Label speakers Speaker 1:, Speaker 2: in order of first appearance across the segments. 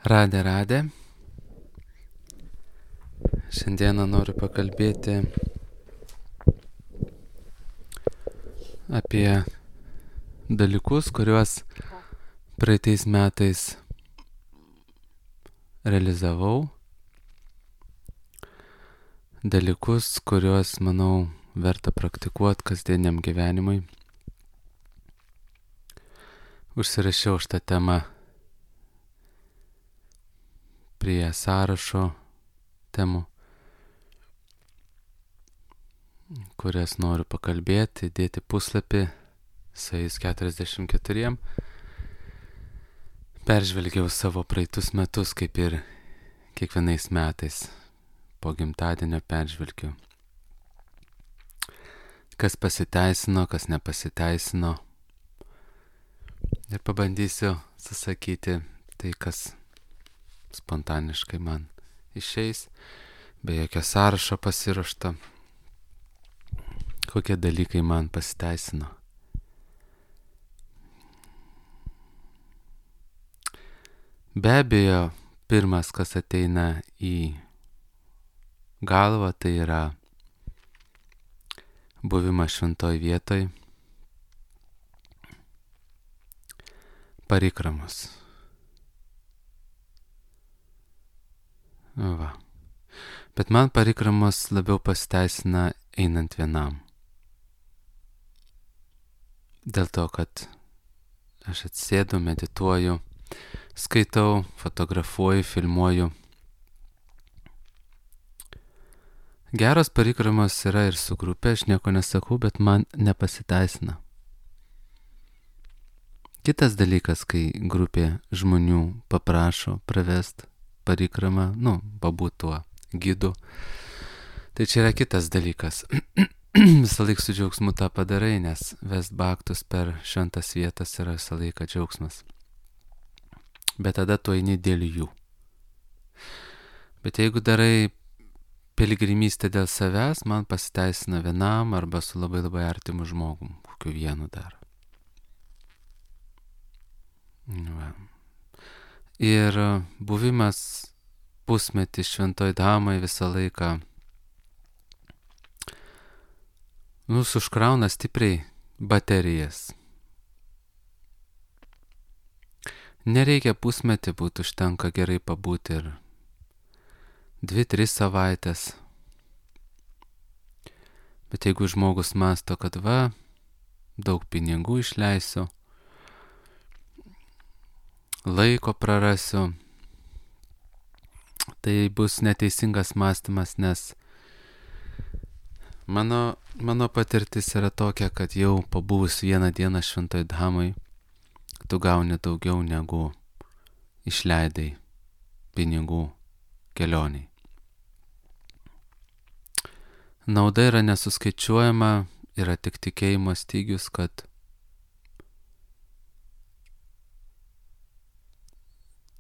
Speaker 1: Radė. Šiandieną noriu pakalbėti apie dalykus, kuriuos praeitais metais realizavau. Dalykus, kuriuos, manau, verta praktikuoti kasdieniam gyvenimui. Užsirašiau šitą temą prie sąrašo temų, kurias noriu pakalbėti, dėti puslapį su jais 44. Peržvelgiau savo praeitus metus, kaip ir kiekvienais metais. Po gimtadienio peržvelgiu, kas pasiteisino, kas nepasiteisino. Ir pabandysiu susakyti tai, kas spontaniškai man išeis, be jokio sąrašo pasiruošto, kokie dalykai man pasiteisino. Be abejo, pirmas, kas ateina į galvą, tai yra buvimas šventoj vietoj, parikramos. Va. Bet man parikramos labiau pasiteisina einant vienam. Dėl to, kad aš atsėdu, medituoju, skaitau, fotografuoju, filmuoju. Geros parikramos yra ir su grupė, aš nieko nesakau, bet man nepasiteisina. Kitas dalykas, kai grupė žmonių paprašo pravest parikramą, pabūt tuo gidu. Tai čia yra kitas dalykas. Visą laiką su džiaugsmu tą padarai, nes vest baktus per šventas vietas yra visą laiką džiaugsmas. Bet tada tu eini dėl jų. Bet jeigu darai piligrimystę dėl savęs, man pasiteisina vienam arba su labai labai artimu žmogum, kokiu vienu dar. Va. Ir buvimas pusmetį šventoj damai visą laiką užkrauna stipriai baterijas. Nereikia pusmetį būti, užtenka gerai pabūti ir 2-3 savaitės. Bet jeigu žmogus mąsto, kad daug pinigų išleisiu, laiko prarasiu, tai bus neteisingas mąstymas, nes mano patirtis yra tokia, kad jau pabuvus vieną dieną šventoj damai, tu gauni daugiau negu išleidai pinigų kelioniai. Nauda yra nesuskaičiuojama, yra tik tikėjimo stygius, kad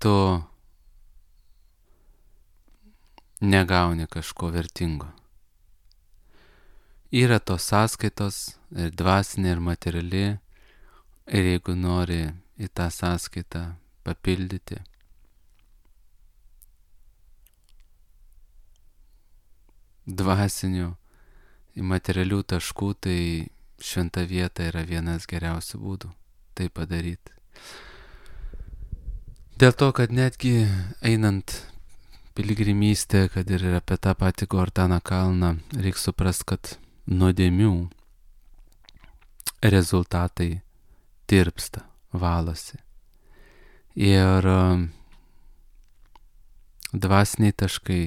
Speaker 1: tu negauni kažko vertingo. Yra tos sąskaitos, ir dvasinė, ir materiali, ir jeigu nori į tą sąskaitą papildyti, dvasinių, į materialių taškų, tai šventa vieta yra vienas geriausių būdų tai padaryti. Dėl to, kad netgi einant piligrimystę, kad ir apie tą patį Gordaną kalną, reikia suprasti, kad nuodėmių rezultatai tirpsta, valosi. Ir dvasiniai taškai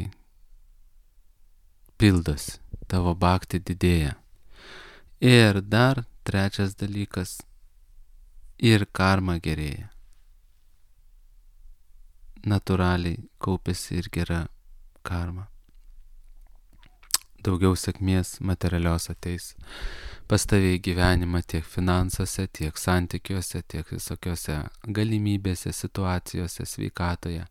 Speaker 1: pildosi, tavo bhakti didėja. Ir dar trečias dalykas, ir karma gerėja. Natūraliai kaupiasi ir gera karma. Daugiau sėkmės materialios ateis pas tave į gyvenimą tiek finansuose, tiek santykiuose, tiek visokiose galimybėse, situacijose, sveikatoje.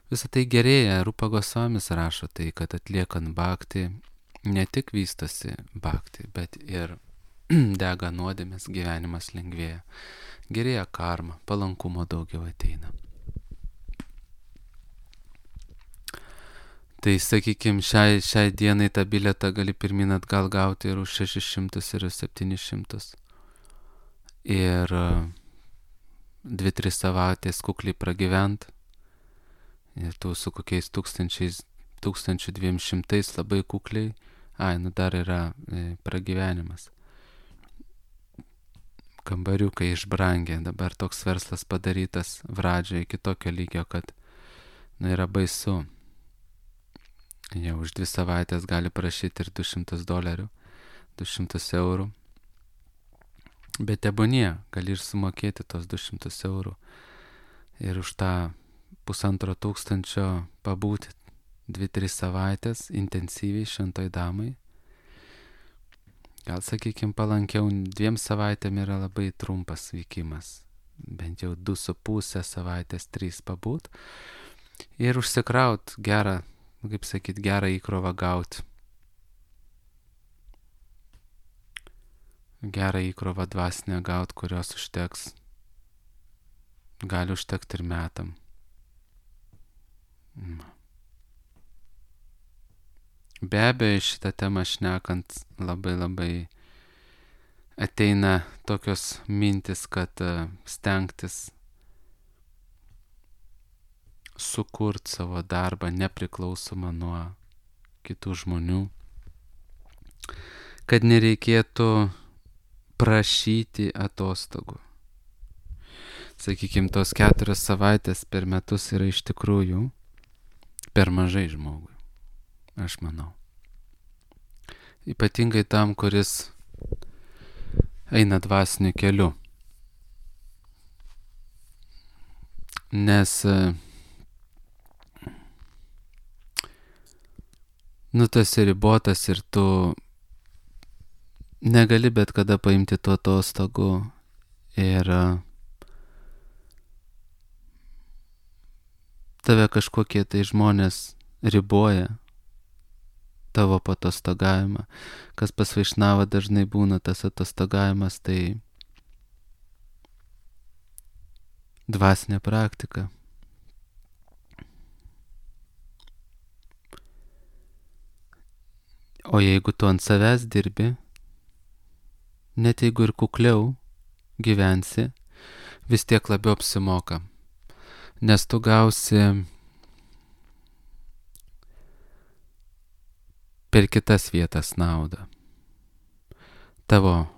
Speaker 1: Visą tai gerėja. Rupa Gosvamis rašo tai, kad atliekant bhakti ne tik vystosi bhakti, bet ir dega nuodėmės, gyvenimas lengvėja. Gerėja karma, palankumo daugiau ateina. Tai sakykime, šiai dienai tą bilietą gali pirmin atgal gauti ir už 600 ir 700. Ir 2-3 savaitės kukliai pragyvent. Ir tu su kokiais 1200 labai kukliai. Dar yra pragyvenimas. Kambariukai išbrangė. Dabar toks verslas padarytas pradžioje iki tokio lygio, kad yra baisu. Jau už 2 savaitės gali prašyti ir $200, 200 eurų. Bet tebūnie, gali ir sumokėti tos 200 eurų. Ir už tą 1500 pabūti 2-3 savaitės intensyviai šventoj damai. Gal, sakykime, palankiau 2 savaitėm yra labai trumpas vykimas. Bent jau 2,5 savaitės, 3 pabūt. Ir užsikraut gerą, kaip sakyt, gerą įkrovą gauti. Gerą įkrovą dvasinę gauti, kurios užteks. Gali užtekti ir metam. Be abejo, šitą temą šnekant labai ateina tokios mintis, kad stengtis sukurti savo darbą nepriklausomą nuo kitų žmonių, kad nereikėtų prašyti atostogų. Sakykime, tos 4 savaitės per metus yra iš tikrųjų per mažai žmogui, aš manau. Ypatingai tam, kuris eina dvasiniu keliu. Nes tu esi ribotas ir tu negali bet kada paimti tų atostogų ir tave kažkokie tai žmonės riboja tavo patostogavimą. Kas pas Vaišnavą dažnai būna tas atostogavimas, tai dvasinė praktika. O jeigu tu ant savęs dirbi, net jeigu ir kukliau gyvensi, vis tiek labiau apsimoka. Nes tu gausi per kitas vietas naudą. Tavo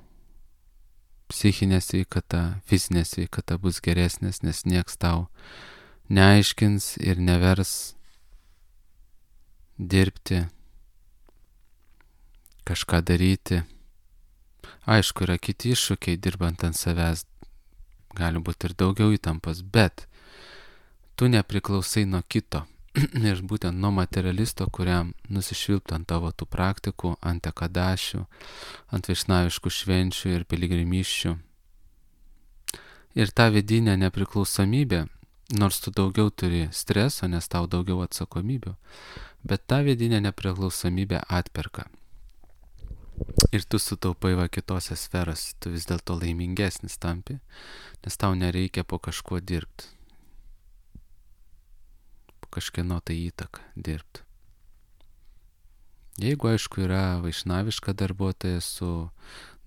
Speaker 1: psichinė sveikata, fizinė sveikata bus geresnės, nes nieks tau neaiškins ir nevers dirbti, kažką daryti. Aišku, yra kiti iššūkiai dirbant ant savęs, gali būti ir daugiau įtampos, bet tu nepriklausai nuo kito. Ir būtent nuo materialisto, kuriam nusišvilptų ant tavo tų praktikų, ant ekadašių, ant vaišnaviškų švenčių ir piligrimysčių. Ir ta vidinė nepriklausomybė, nors tu daugiau turi streso, nes tau daugiau atsakomybių, bet ta vidinė nepriklausomybė atperka. Ir tu sutaupai kitose sferose, tu vis dėlto laimingesnis tampi, nes tau nereikia po kažkuo dirbti. Kažkieno tai įtaką dirbti. Jeigu, aišku, yra vaišnaviška darbuotoja su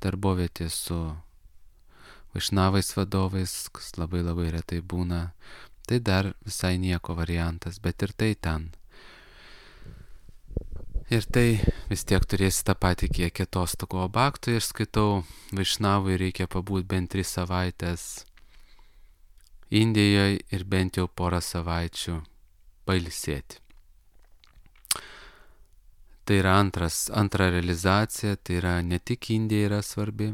Speaker 1: darbovietė, su vaišnavais vadovais, kas labai retai būna, tai dar visai nieko variantas, bet ir tai ten. Ir tai vis tiek turėsi tą patį kiekį atostogų. O baktui aš skaitau, vaišnavui reikia pabūt bent 3 savaitės Indijoje ir bent jau 4 savaičių pailsėti. Tai yra antra realizacija, tai yra ne tik Indija yra svarbi,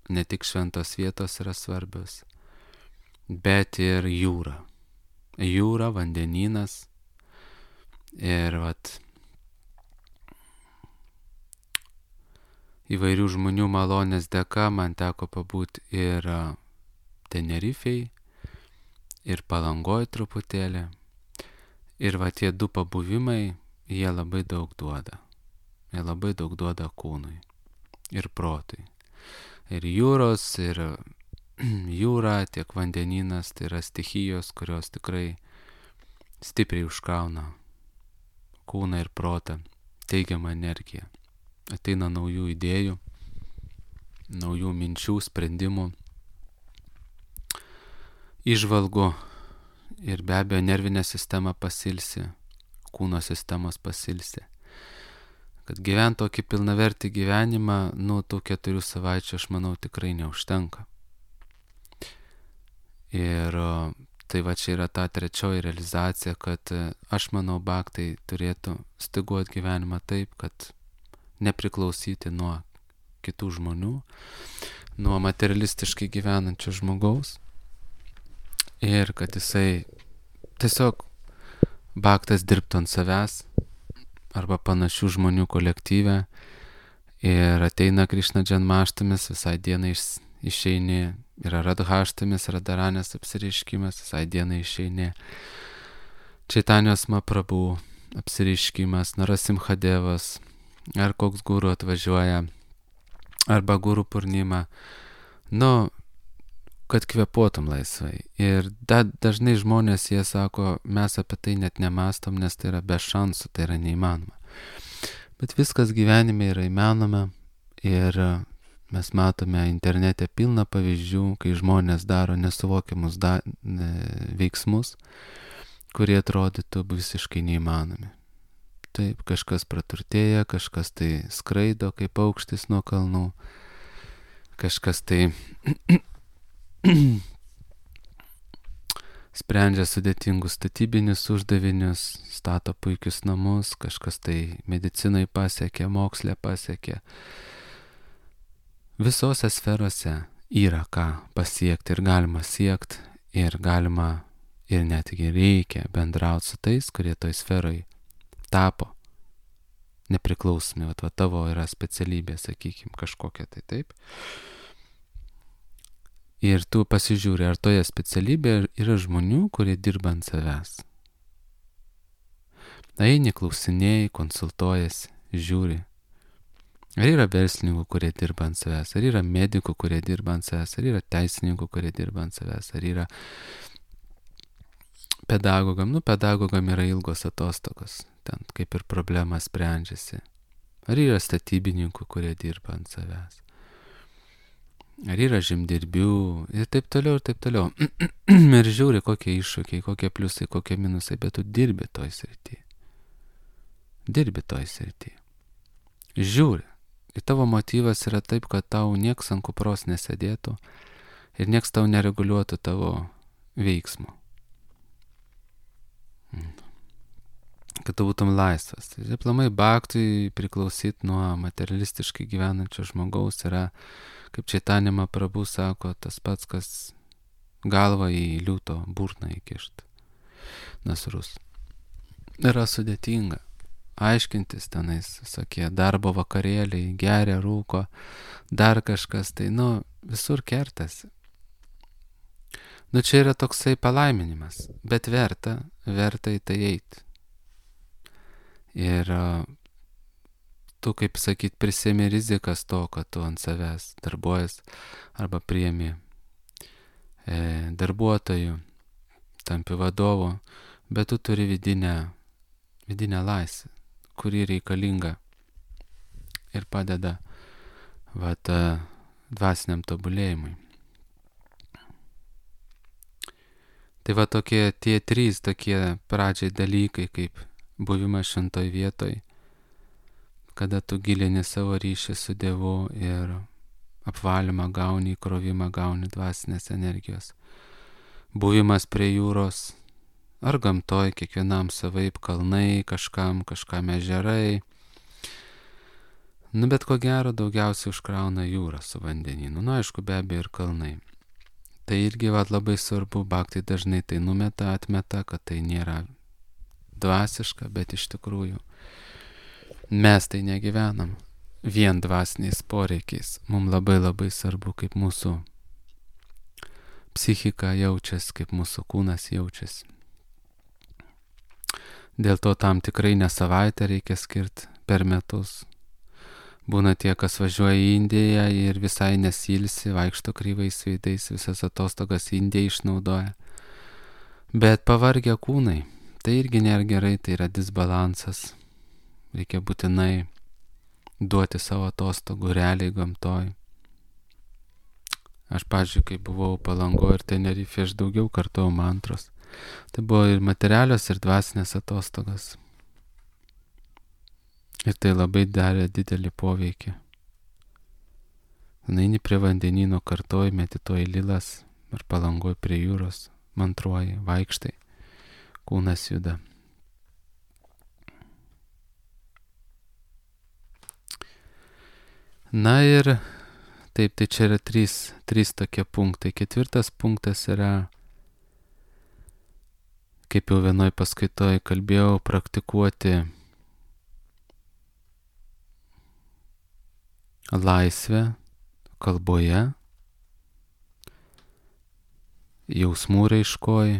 Speaker 1: ne tik šventos vietos yra svarbios, bet ir jūra. Jūra, vandenynas ir įvairių žmonių malonės dėka man teko pabūti ir Tenerifei, ir Palangoj truputėlį. Ir tie 2 pabuvimai, jie labai daug duoda. Jie labai daug duoda kūnui ir protui. Ir jūros, ir jūra, tiek vandenynas, tai yra stichijos, kurios tikrai stipriai užkrauna kūną ir protą teigiamą energiją. Ateina naujų idėjų, naujų minčių, sprendimų, įžvalgų ir be abejo nervinė sistema pasilsi, kūno sistemos pasilsi. Kad gyventi tokį pilnavertį gyvenimą, tų 4 savaičių, aš manau, tikrai neužtenka. Ir tai va čia yra ta trečioji realizacija, kad aš manau, bhaktai turėtų styguoti gyvenimą taip, kad nepriklausyti nuo kitų žmonių, nuo materialistiškai gyvenančio žmogaus. Ir kad jisai tiesiog bhaktas dirbtų ant savęs arba panašių žmonių kolektyve ir ateina Krišna džanmaštamis, visai dienai išeini, yra radhaštamis, radaranės apsireiškimas, visai dienai išeini, Čaitanijos Mahaprabhu apsireiškimas, Narasimhadevas, ar koks guru atvažiuoja, arba guru purnima, kad kvėpuotum laisvai. Ir dažnai žmonės, jie sako, mes apie tai net nemastom, nes tai yra be šansų, tai yra neįmanoma. Bet viskas gyvenime yra įmanoma ir mes matome internete pilną pavyzdžių, kai žmonės daro nesuvokiamus veiksmus, kurie atrodytų visiškai neįmanomi. Taip, kažkas praturtėja, kažkas tai skraido kaip paukštis nuo kalnų, kažkas tai sprendžia sudėtingus statybinius uždavinius, stato puikius namus, kažkas tai medicinai pasiekė, mokslė pasiekė. Visose sferose yra ką pasiekti ir galima siekti ir galima ir netgi reikia bendrauti su tais, kurie toj sferoj tapo nepriklausomi. Va tavo yra specialybė, sakykime, kažkokia tai taip. Ir tu pasižiūri, ar toje specialybėje yra žmonių, kurie dirba ant savęs. Eini, klausinėjai, konsultuojasi, žiūri. Ar yra verslininkų, kurie dirba ant savęs, ar yra medikų, kurie dirba ant savęs, ar yra teisininkų, kurie dirba ant savęs, ar yra pedagogam. Pedagogam yra ilgos atostogos, ten kaip ir problema sprendžiasi. Ar yra statybininkų, kurie dirba ant savęs. Ar yra žemdirbių ir taip toliau, ir taip toliau. Ir žiūri, kokie iššūkiai, kokie pliusai, kokie minusai, bet tu dirbi toj srity. Dirbi toj srity. Žiūri. Ir tavo motyvas yra taip, kad tau nieks ant kupros nesėdėtų ir nieks tau nereguliuotų tavo veiksmo. Kad tu būtum laisvas. Tai aplamai bhaktui priklausyti nuo materialistiškai gyvenančio žmogaus yra, kaip Čaitanija Mahaprabhu sako, tas pats, kas galvą į liūto burną įkišt. Nasrus. Yra sudėtinga aiškintis tenais visokie darbo vakarėliai, geria, rūko, dar kažkas, tai visur kertasi. Čia yra toksai palaiminimas, bet verta į tai eiti. Ir tu, kaip sakyt, prisėmi rizikas to, kad tu ant savęs darbuojas arba priemi darbuotojų, tampi vadovu, bet tu turi vidinę laisvę, kuri reikalinga ir padeda dvasiniam tobulėjimui. Tai tie 3 tokie pradžiai dalykai, kaip buvimas šventoj vietoj, kada tu gilini savo ryšį su Dievu ir apvalymą gauni, įkrovimą gauni dvasinės energijos. Buvimas prie jūros ar gamtoj, kiekvienam savaip, kalnai, kažkam ežerai. Bet ko gero daugiausiai užkrauna jūra su vandenynu. Aišku, be abejo ir kalnai. Tai irgi labai svarbu, bhaktai dažnai tai atmeta, kad tai nėra dvasiška, bet iš tikrųjų mes tai negyvenam vien dvasiniais poreikiais. Mums labai svarbu, kaip mūsų psichika jaučiasi, kaip mūsų kūnas jaučiasi. Dėl to tam tikrai ne savaitę reikia skirti per metus. Būna tie, kas važiuoja į Indiją ir visai nesilsi, vaikšto kryvais veidais, visas atostogas Indiją išnaudoja. Bet pavargę kūnai, tai irgi nėra gerai, tai yra disbalansas. Reikia būtinai duoti savo atostogų realiai gamtoj. Aš, pavyzdžiui, kai buvau Palangoje ir Tenerifėje, aš daugiau kartojau mantros. Tai buvo ir materialios, ir dvasinės atostogas. Ir tai labai darė didelį poveikį. Eini prie vandenyno, kartoji, medituoji lilas, ar Palangoje prie jūros, mantruoji, vaikštai, kūnas juda. Na ir taip, tai čia yra trys tokie punktai. 4 punktas yra, kaip jau vienoj paskaitoj kalbėjau, praktikuoti laisvę kalboje, jausmų raiškoj,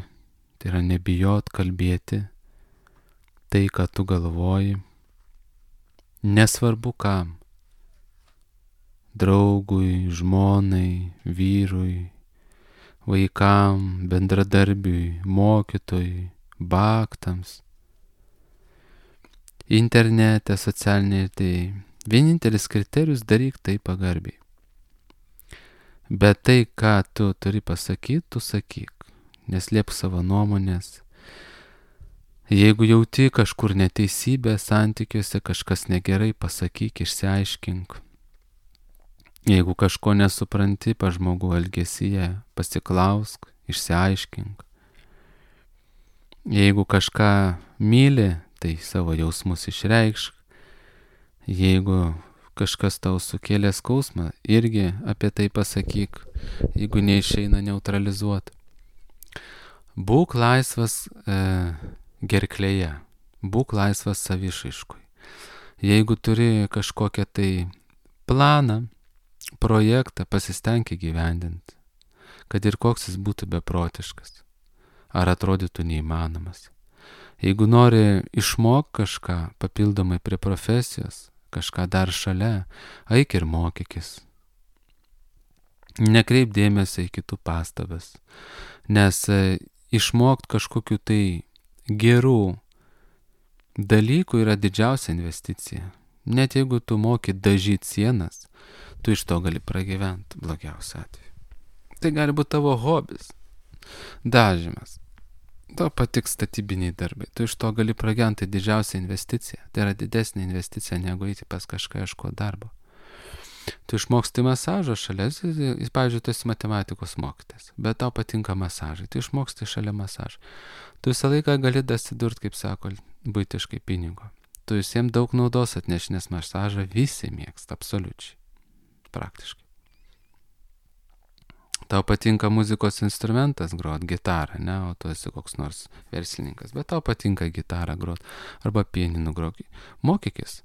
Speaker 1: tai yra nebijot kalbėti tai, ką tu galvoji, nesvarbu kam. Draugui, žmonai, vyrui, vaikam, bendradarbiui, mokytojui, baktams, internete, socialinėje, tai vienintelis kriterijus daryk tai pagarbiai. Bet tai, ką tu turi pasakyti, tu sakyk, neslėpk savo nuomonės. Jeigu jauti kažkur neteisybę santykiuose, kažkas negerai, pasakyk, išsiaiškink. Jeigu kažko nesupranti pa žmogų elgesyje, pasiklausk, išsiaiškink. Jeigu kažką myli, tai savo jausmus išreikšk. Jeigu kažkas tau sukėlė skausmą, irgi apie tai pasakyk, jeigu neišeina neutralizuoti. Būk laisvas gerklėje, būk laisvas savišaiškui. Jeigu turi kažkokią tai planą, projektą, pasistenk įgyvendinti, kad ir koks jis būtų beprotiškas, ar atrodytų neįmanomas. Jeigu nori išmok kažką papildomai prie profesijos, kažką dar šalia, eik ir mokykis. Nekreip dėmesio į kitų pastabas, nes išmokt kažkokiu tai gerų dalykų yra didžiausia investicija. Net jeigu tu moki dažyti sienas, tu iš to gali pragyventi blogiausiu atveju. Tai gali būti tavo hobis, dažymas. Tau patiks statybiniai darbai, tu iš to gali pragyventi, tai didžiausia investicija. Tai yra didesnė investicija negu eiti pas kažką ieškoti darbo. Tu išmoksti masažą šalia, pavyzdžiui, tu esi matematikos mokytojas, bet tau patinka masažai, tu išmoksti šalia masažą. Tu visą laiką gali dasidurti, kaip sako, buitiškai pinigo. Tu visiems daug naudos atneš, nes masažą visi mėgsta, absoliučiai, praktiškai. Tau patinka muzikos instrumentas grot, gitarą, ne, o tu esi koks nors verslininkas, bet tau patinka gitarą grot, arba pianinu grot. Mokykis,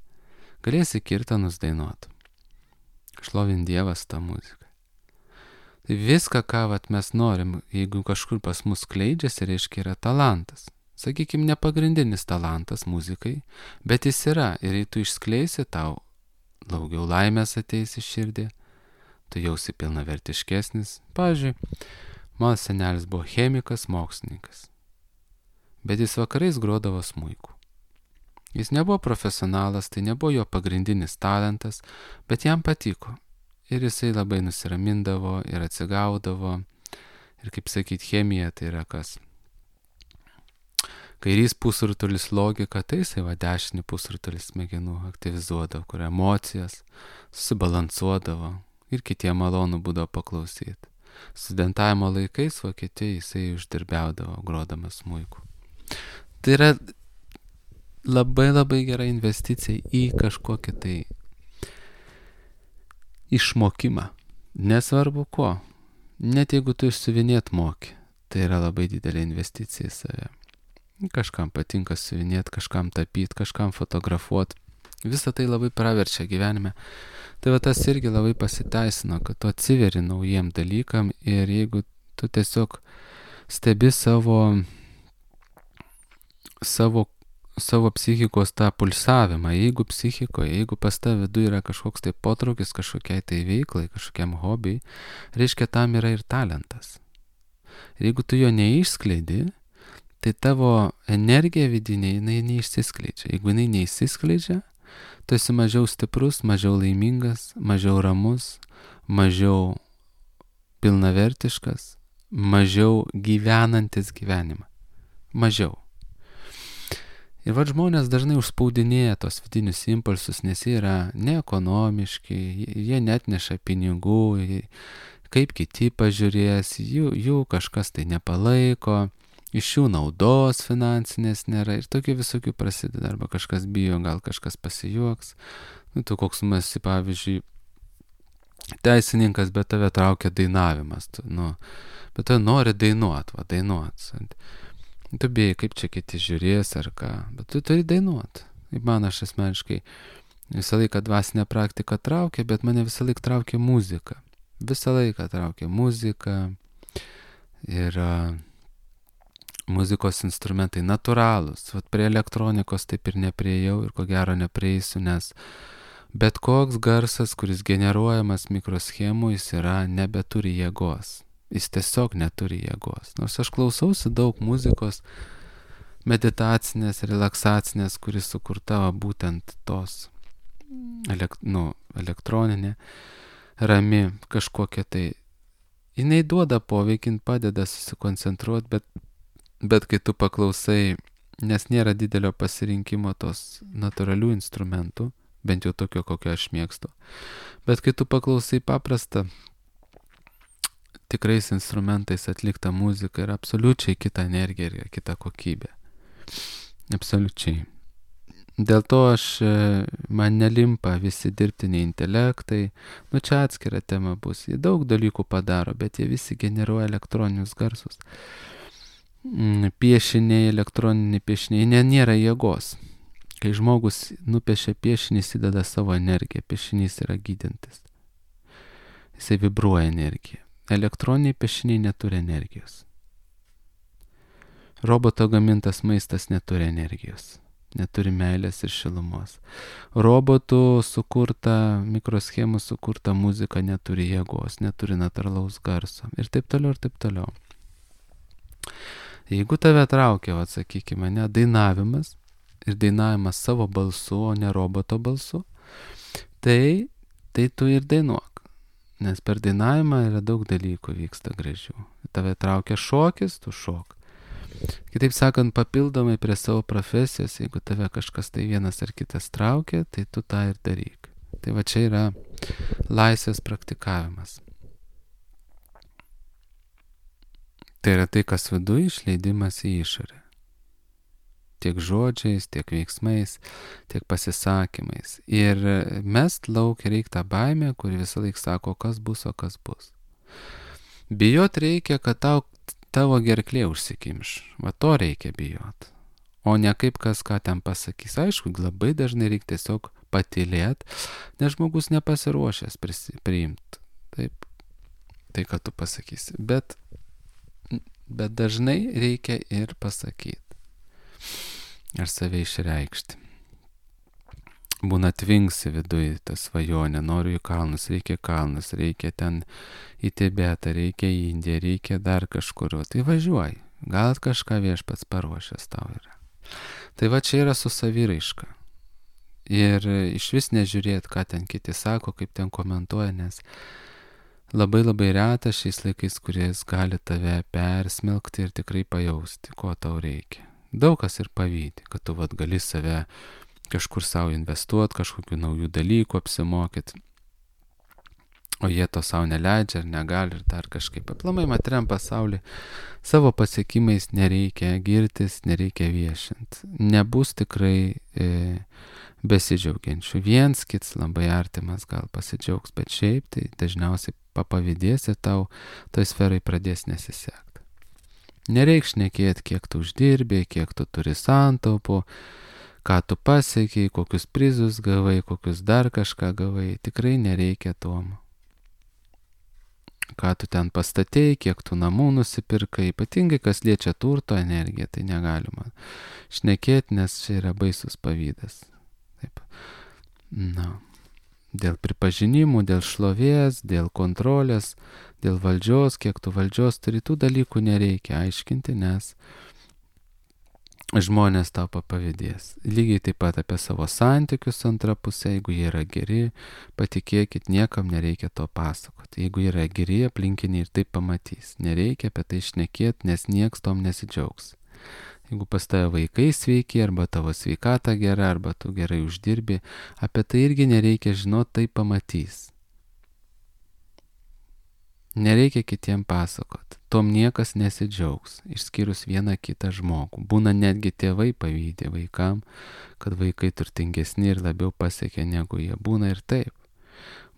Speaker 1: galėsi kirtanus dainuot. Šlovint Dievas tą muziką. Tai viską, ką mes norim, jeigu kažkur pas mus skleidžiasi, reiškia yra talentas. Sakykime, ne pagrindinis talentas muzikai, bet jis yra, ir jei tu išskleisi, tau daugiau laimės ateis į širdį, tu jausi pilnavertiškesnis. Pavyzdžiui, mano senelis buvo chemikas, mokslininkas, bet jis vakarais grodavo smuiku. Jis nebuvo profesionalas, tai nebuvo jo pagrindinis talentas, bet jam patiko. Ir jisai labai nusiramindavo ir atsigaudavo. Ir kaip sakyti, chemija tai yra kas? Kairys pusrutulis logika, tai jisai dešinį pusrutulį smegenų aktyvizuodavo, kur emocijas susibalansuodavo ir kitiem malonu būdavo paklausyti. Studentavimo laikais Vokietijai jisai uždirbiaudavo grodamas smuiku. Tai yra labai labai gera investicija į kažkokį tai išmokimą. Nesvarbu ko. Net jeigu tu išsiuvinėt moki, tai yra labai didelė investicija į save. Kažkam patinka siuvinėti, kažkam tapyti, kažkam fotografuoti. Visą tai labai praverčia gyvenime. Tai va tas irgi labai pasiteisino, kad tu atsiveri naujiem dalykam ir jeigu tu tiesiog stebi savo psichikos tą pulsavimą, jeigu psichikoje, jeigu pas tave viduje yra kažkoks tai potraukis kažkokiai tai veiklai, kažkokiam hobiui, reiškia tam yra ir talentas. Ir jeigu tu jo neišskleidi, tai tavo energija vidinė, jinai neišsiskleidžia. Jeigu jinai neišsiskleidžia, tu esi mažiau stiprus, mažiau laimingas, mažiau ramus, mažiau pilnavertiškas, mažiau gyvenantis gyvenimą. Mažiau. Ir žmonės dažnai užspaudinėja tos vidinius impulsus, nes jie yra neekonomiški, jie net neša pinigų, kaip kiti pažiūrės, jų kažkas tai nepalaiko, iš jų naudos finansinės nėra ir tokių visokių prasideda, arba kažkas bijo, gal kažkas pasijuoks. Tu koks esi, pavyzdžiui, teisininkas, bet tave traukia dainavimas, bet tu nori dainuot. Tu bijai, kaip čia kiti žiūrės ar ką, bet tu turi dainuot. Kaip man, aš asmeniškai visą laiką dvasinę praktiką traukia, bet mane visą laiką traukia muzika. Visą laiką traukia muzika ir muzikos instrumentai natūralūs. Prie elektronikos taip ir nepriejau ir ko gero neprieisiu, nes bet koks garsas, kuris generuojamas mikroschemų, jis nebeturi jėgos. Jis tiesiog neturi jėgos. Nors aš klausausi daug muzikos meditacinės, relaksacinės, kuris sukurta būtent tos elektroninė, rami kažkokia tai. Jinai duoda poveikį, padeda susikoncentruoti, bet kai tu paklausai, nes nėra didelio pasirinkimo tos natūralių instrumentų, bent jau tokio, kokio aš mėgstu, bet kai tu paklausai paprastą, tikrais instrumentais atlikta muzika yra absoliučiai kita energija ir kita kokybė. Absoliučiai. Dėl to man nelimpa visi dirbtiniai intelektai, čia atskira tema bus. Jie daug dalykų padaro, bet jie visi generuoja elektroninius garsus. Piešiniai, elektroniniai piešiniai, nėra jėgos. Kai žmogus nupiešia piešinį, jis įdeda savo energiją. Piešinys yra gydantis. Jisai vibruoja energiją. Elektroniniai piešiniai neturi energijos. Roboto gamintas maistas neturi energijos. Neturi meilės ir šilumos. Robotų sukurta, mikroschemų sukurta muzika neturi jėgos, neturi natūralaus garso. Ir taip toliau, ir taip toliau. Jeigu tave traukia, sakykime, dainavimas ir dainavimas savo balsu, o ne roboto balsu, tai tu ir dainuok. Nes per dainavimą yra daug dalykų vyksta gražių. Tave traukia šokis, tu šok. Kitaip sakant, papildomai prie savo profesijos, jeigu tave kažkas tai vienas ar kitas traukia, tai tu tą ir daryk. Tai čia yra laisvės praktikavimas. Tai yra tai, kas viduje, išleidimas į išorę. Tiek žodžiais, tiek veiksmais, tiek pasisakymais. Ir mest lauk reikia tą baimę, kuri visą laiką sako, kas bus, o kas bus. Bijot reikia, kad tavo gerklė užsikimš. To reikia bijot. O ne kaip kas ką ten pasakys. Aišku, labai dažnai reikia tiesiog patylėt, nes žmogus nepasiruošęs priimti. Taip, tai, ką tu pasakysi. Bet dažnai reikia ir pasakyti. Ar save išreikšti. Būna tvingsi viduje tą svajonę, noriu į kalnus, reikia ten į Tibetą, reikia į Indiją, reikia dar kažkur. Tai važiuoji, gal kažką viešpats paruošęs tau yra. Tai čia yra su saviraiška. Ir iš vis nežiūrėt, ką ten kiti sako, kaip ten komentuoja, nes labai labai reta šiais laikais, kuris gali tave persmelkti ir tikrai pajausti, ko tau reikia. Daug kas ir pavydi, kad tu gali save kažkur savo investuoti, kažkokių naujų dalykų apsimokyti, o jie to savo neleidžia ar negali ir dar kažkaip. Aplamai materiam pasaulį savo pasiekimais nereikia girtis, nereikia viešinti. Nebus tikrai besidžiaugiančių. Viens kits labai artimas gal pasidžiaugs, bet šiaip tai dažniausiai papavydės ir tau toj sferai pradės nesisekti. Nereik šnekėti, kiek tu uždirbi, kiek tu turi santaupų, ką tu pasiekiai, kokius prizus gavai, kokius dar kažką gavai. Tikrai nereikia tom. Ką tu ten pastatei, kiek tu namų nusipirkai, ypatingai kas liečia turto energiją, tai negalima šnekėti, nes čia yra baisus pavydas. Taip. Dėl pripažinimų, dėl šlovės, dėl kontrolės, dėl valdžios, kiek tu valdžios turi, tų dalykų nereikia aiškinti, nes žmonės tau pavydės. Lygiai taip pat apie savo santykius su antra pusė, jeigu jie yra geri, patikėkit, niekam nereikia to pasakoti. Jeigu yra geri, aplinkiniai ir taip pamatys. Nereikia apie tai šnekėti, nes nieks tom nesidžiaugs. Jeigu pas tave vaikai sveiki, arba tavo sveikata gera, arba tu gerai uždirbi, apie tai irgi nereikia žinoti, tai pamatys. Nereikia kitiem pasakot. Tom niekas nesidžiaugs, išskyrus vieną kitą žmogų. Būna netgi tėvai pavydė vaikam, kad vaikai turtingesni ir labiau pasiekia negu jie. Būna ir taip.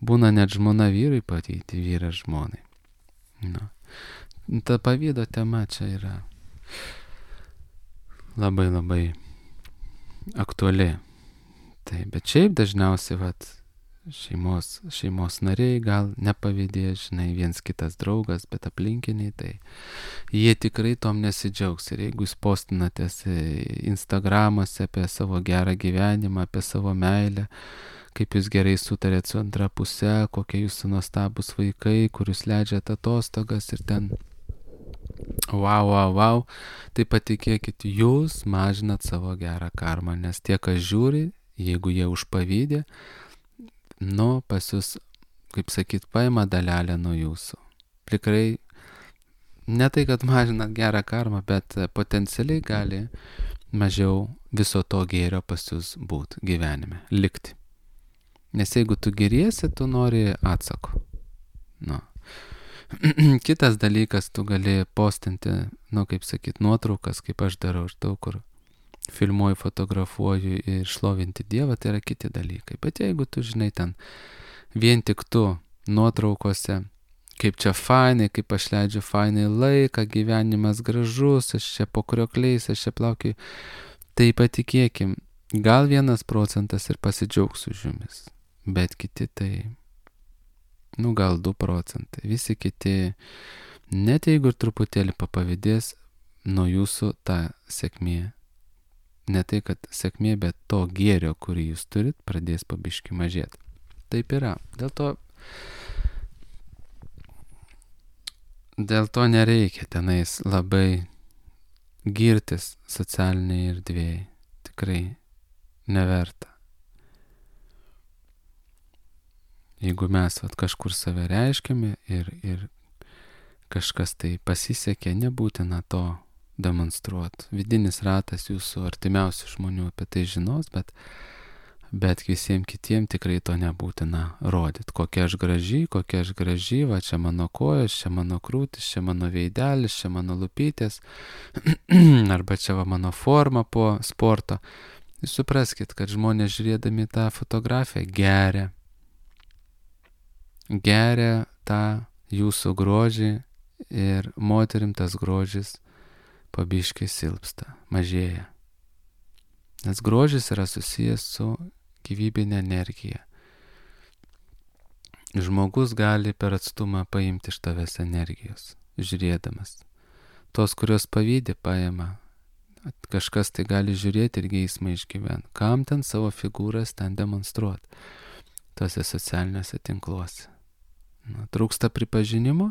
Speaker 1: Būna net žmona vyrui pavydė, vyras žmonai. Na. Ta pavydo tema čia yra labai aktuali. Tai, bet šiaip dažniausiai šeimos nariai gal nepavydės, žinai, viens kitas draugas, bet aplinkiniai, tai jie tikrai tom nesidžiaugs. Ir jeigu jūs postinatės Instagramuose apie savo gerą gyvenimą, apie savo meilę, kaip jūs gerai sutarėt su antra puse, kokie jūsų nuostabus vaikai, kur jūs leidžiate atostogas ir ten wow, tai patikėkit, jūs mažinat savo gerą karmą, nes tie, kas žiūri, jeigu jie užpavydė, pas jūs, kaip sakyt, paima dalelę nuo jūsų. Tikrai, ne tai, kad mažinat gerą karmą, bet potencialiai gali mažiau viso to gėrio pas jūs būt gyvenime, likti. Nes jeigu tu geriesi, tu nori atsako. Kitas dalykas, tu gali postinti, kaip sakyt, nuotraukas, kaip aš darau, aš daug kur filmuoju, fotografuoju ir šlovinti Dievą, tai yra kiti dalykai. Bet jeigu tu, žinai, ten vien tik tu nuotraukose, kaip čia fainai, kaip aš leidžiu fainai laiką, gyvenimas gražus, aš čia po kriokliais, aš čia plaukiu, tai patikėkim, gal 1% ir pasidžiaugs už jumis, bet kiti tai, gal 2%. Visi kiti, net jeigu ir truputėlį papavydės, nuo jūsų ta sėkmė, ne tai, kad sėkmė, bet to gėrio, kurį jūs turit, pradės pabiški mažėti. Taip yra. Dėl to nereikia tenais labai girtis socialiniai erdvėjai. Tikrai neverta. Jeigu mes kažkur save reiškiame ir kažkas tai pasisekė, nebūtina to demonstruoti. Vidinis ratas jūsų artimiausių žmonių apie tai žinos, bet visiems kitiems tikrai to nebūtina rodyti. Kokia aš graži, va čia mano kojos, čia mano krūtis, čia mano veidelis, čia mano lūpytės, arba čia va mano forma po sporto. Jūs supraskit, kad žmonės žiūrėdami tą fotografiją geria tą jūsų grožį ir moterim tas grožis pabiškai silpsta, mažėja. Nes grožis yra susijęs su gyvybinė energija. Žmogus gali per atstumą paimti iš tavęs energijos, žiūrėdamas. Tos, kurios pavydė, paima. Kažkas tai gali žiūrėti ir geismą išgyventi. Kam ten savo figūras ten demonstruoti? Tuose socialiniuose tinkluose. Trūksta pripažinimo,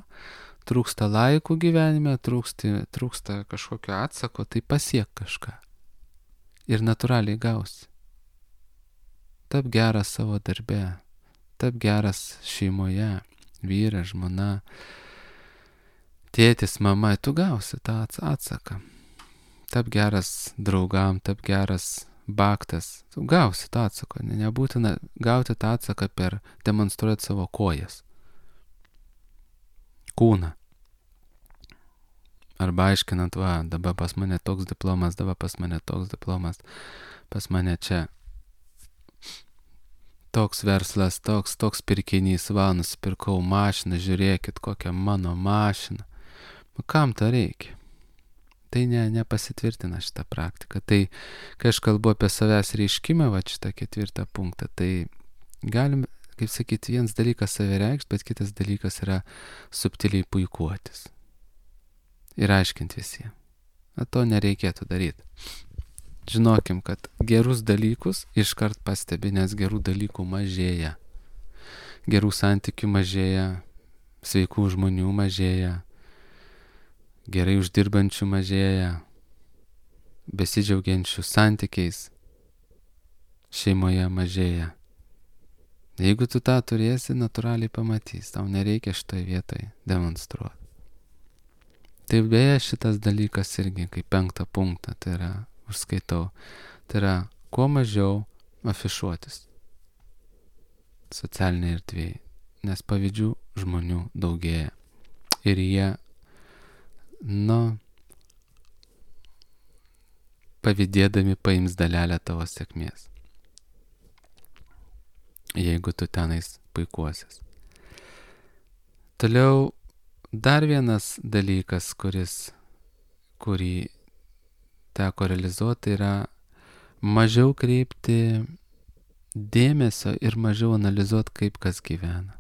Speaker 1: trūksta laikų gyvenime, trūksta kažkokio atsako, tai pasiek kažką. Ir natūraliai gausi. Tap geras savo darbe, tap geras šeimoje, vyras, žmona, tėtis, mama, tu gausi tą atsaką. Tap geras draugam, tap geras baktas, tu gausi tą atsaką. Nebūtina gauti tą atsaką per demonstruoti savo kojas. Kūną. Arba aiškinant, dabar pas mane toks diplomas, pas mane čia toks verslas, toks pirkinys, nusipirkau mašiną, žiūrėkit, kokia mano mašina. Kam to reikia? Tai nepasitvirtina šitą praktiką. Tai, kai aš kalbu apie savęs reiškimą, šitą 4 punktą, tai galim, kaip sakyti, vienas dalykas save reikšti, bet kitas dalykas yra subtiliai puikuotis. Ir aiškinti visiems. To nereikėtų daryti. Žinokim, kad gerus dalykus iškart pastebi, nes gerų dalykų mažėja. Gerų santykių mažėja, sveikų žmonių mažėja, gerai uždirbančių mažėja. besidžiaugiančių santykiais šeimoje mažėja. Jeigu tu tą turėsi, natūraliai pamatys, tau nereikia šitoje vietoje demonstruoti. Tai beje šitas dalykas irgi kaip 5 punktą, tai yra, užskaitau, tai yra kuo mažiau afišuotis socialinėje erdvėje, nes pavydžių žmonių daugėja. Ir jie, pavydėdami paims dalelę tavo sėkmės, jeigu tu tenais puikuosies. Toliau dar vienas dalykas, kurį teko realizuoti, yra mažiau kreipti dėmesio ir mažiau analizuoti, kaip kas gyvena.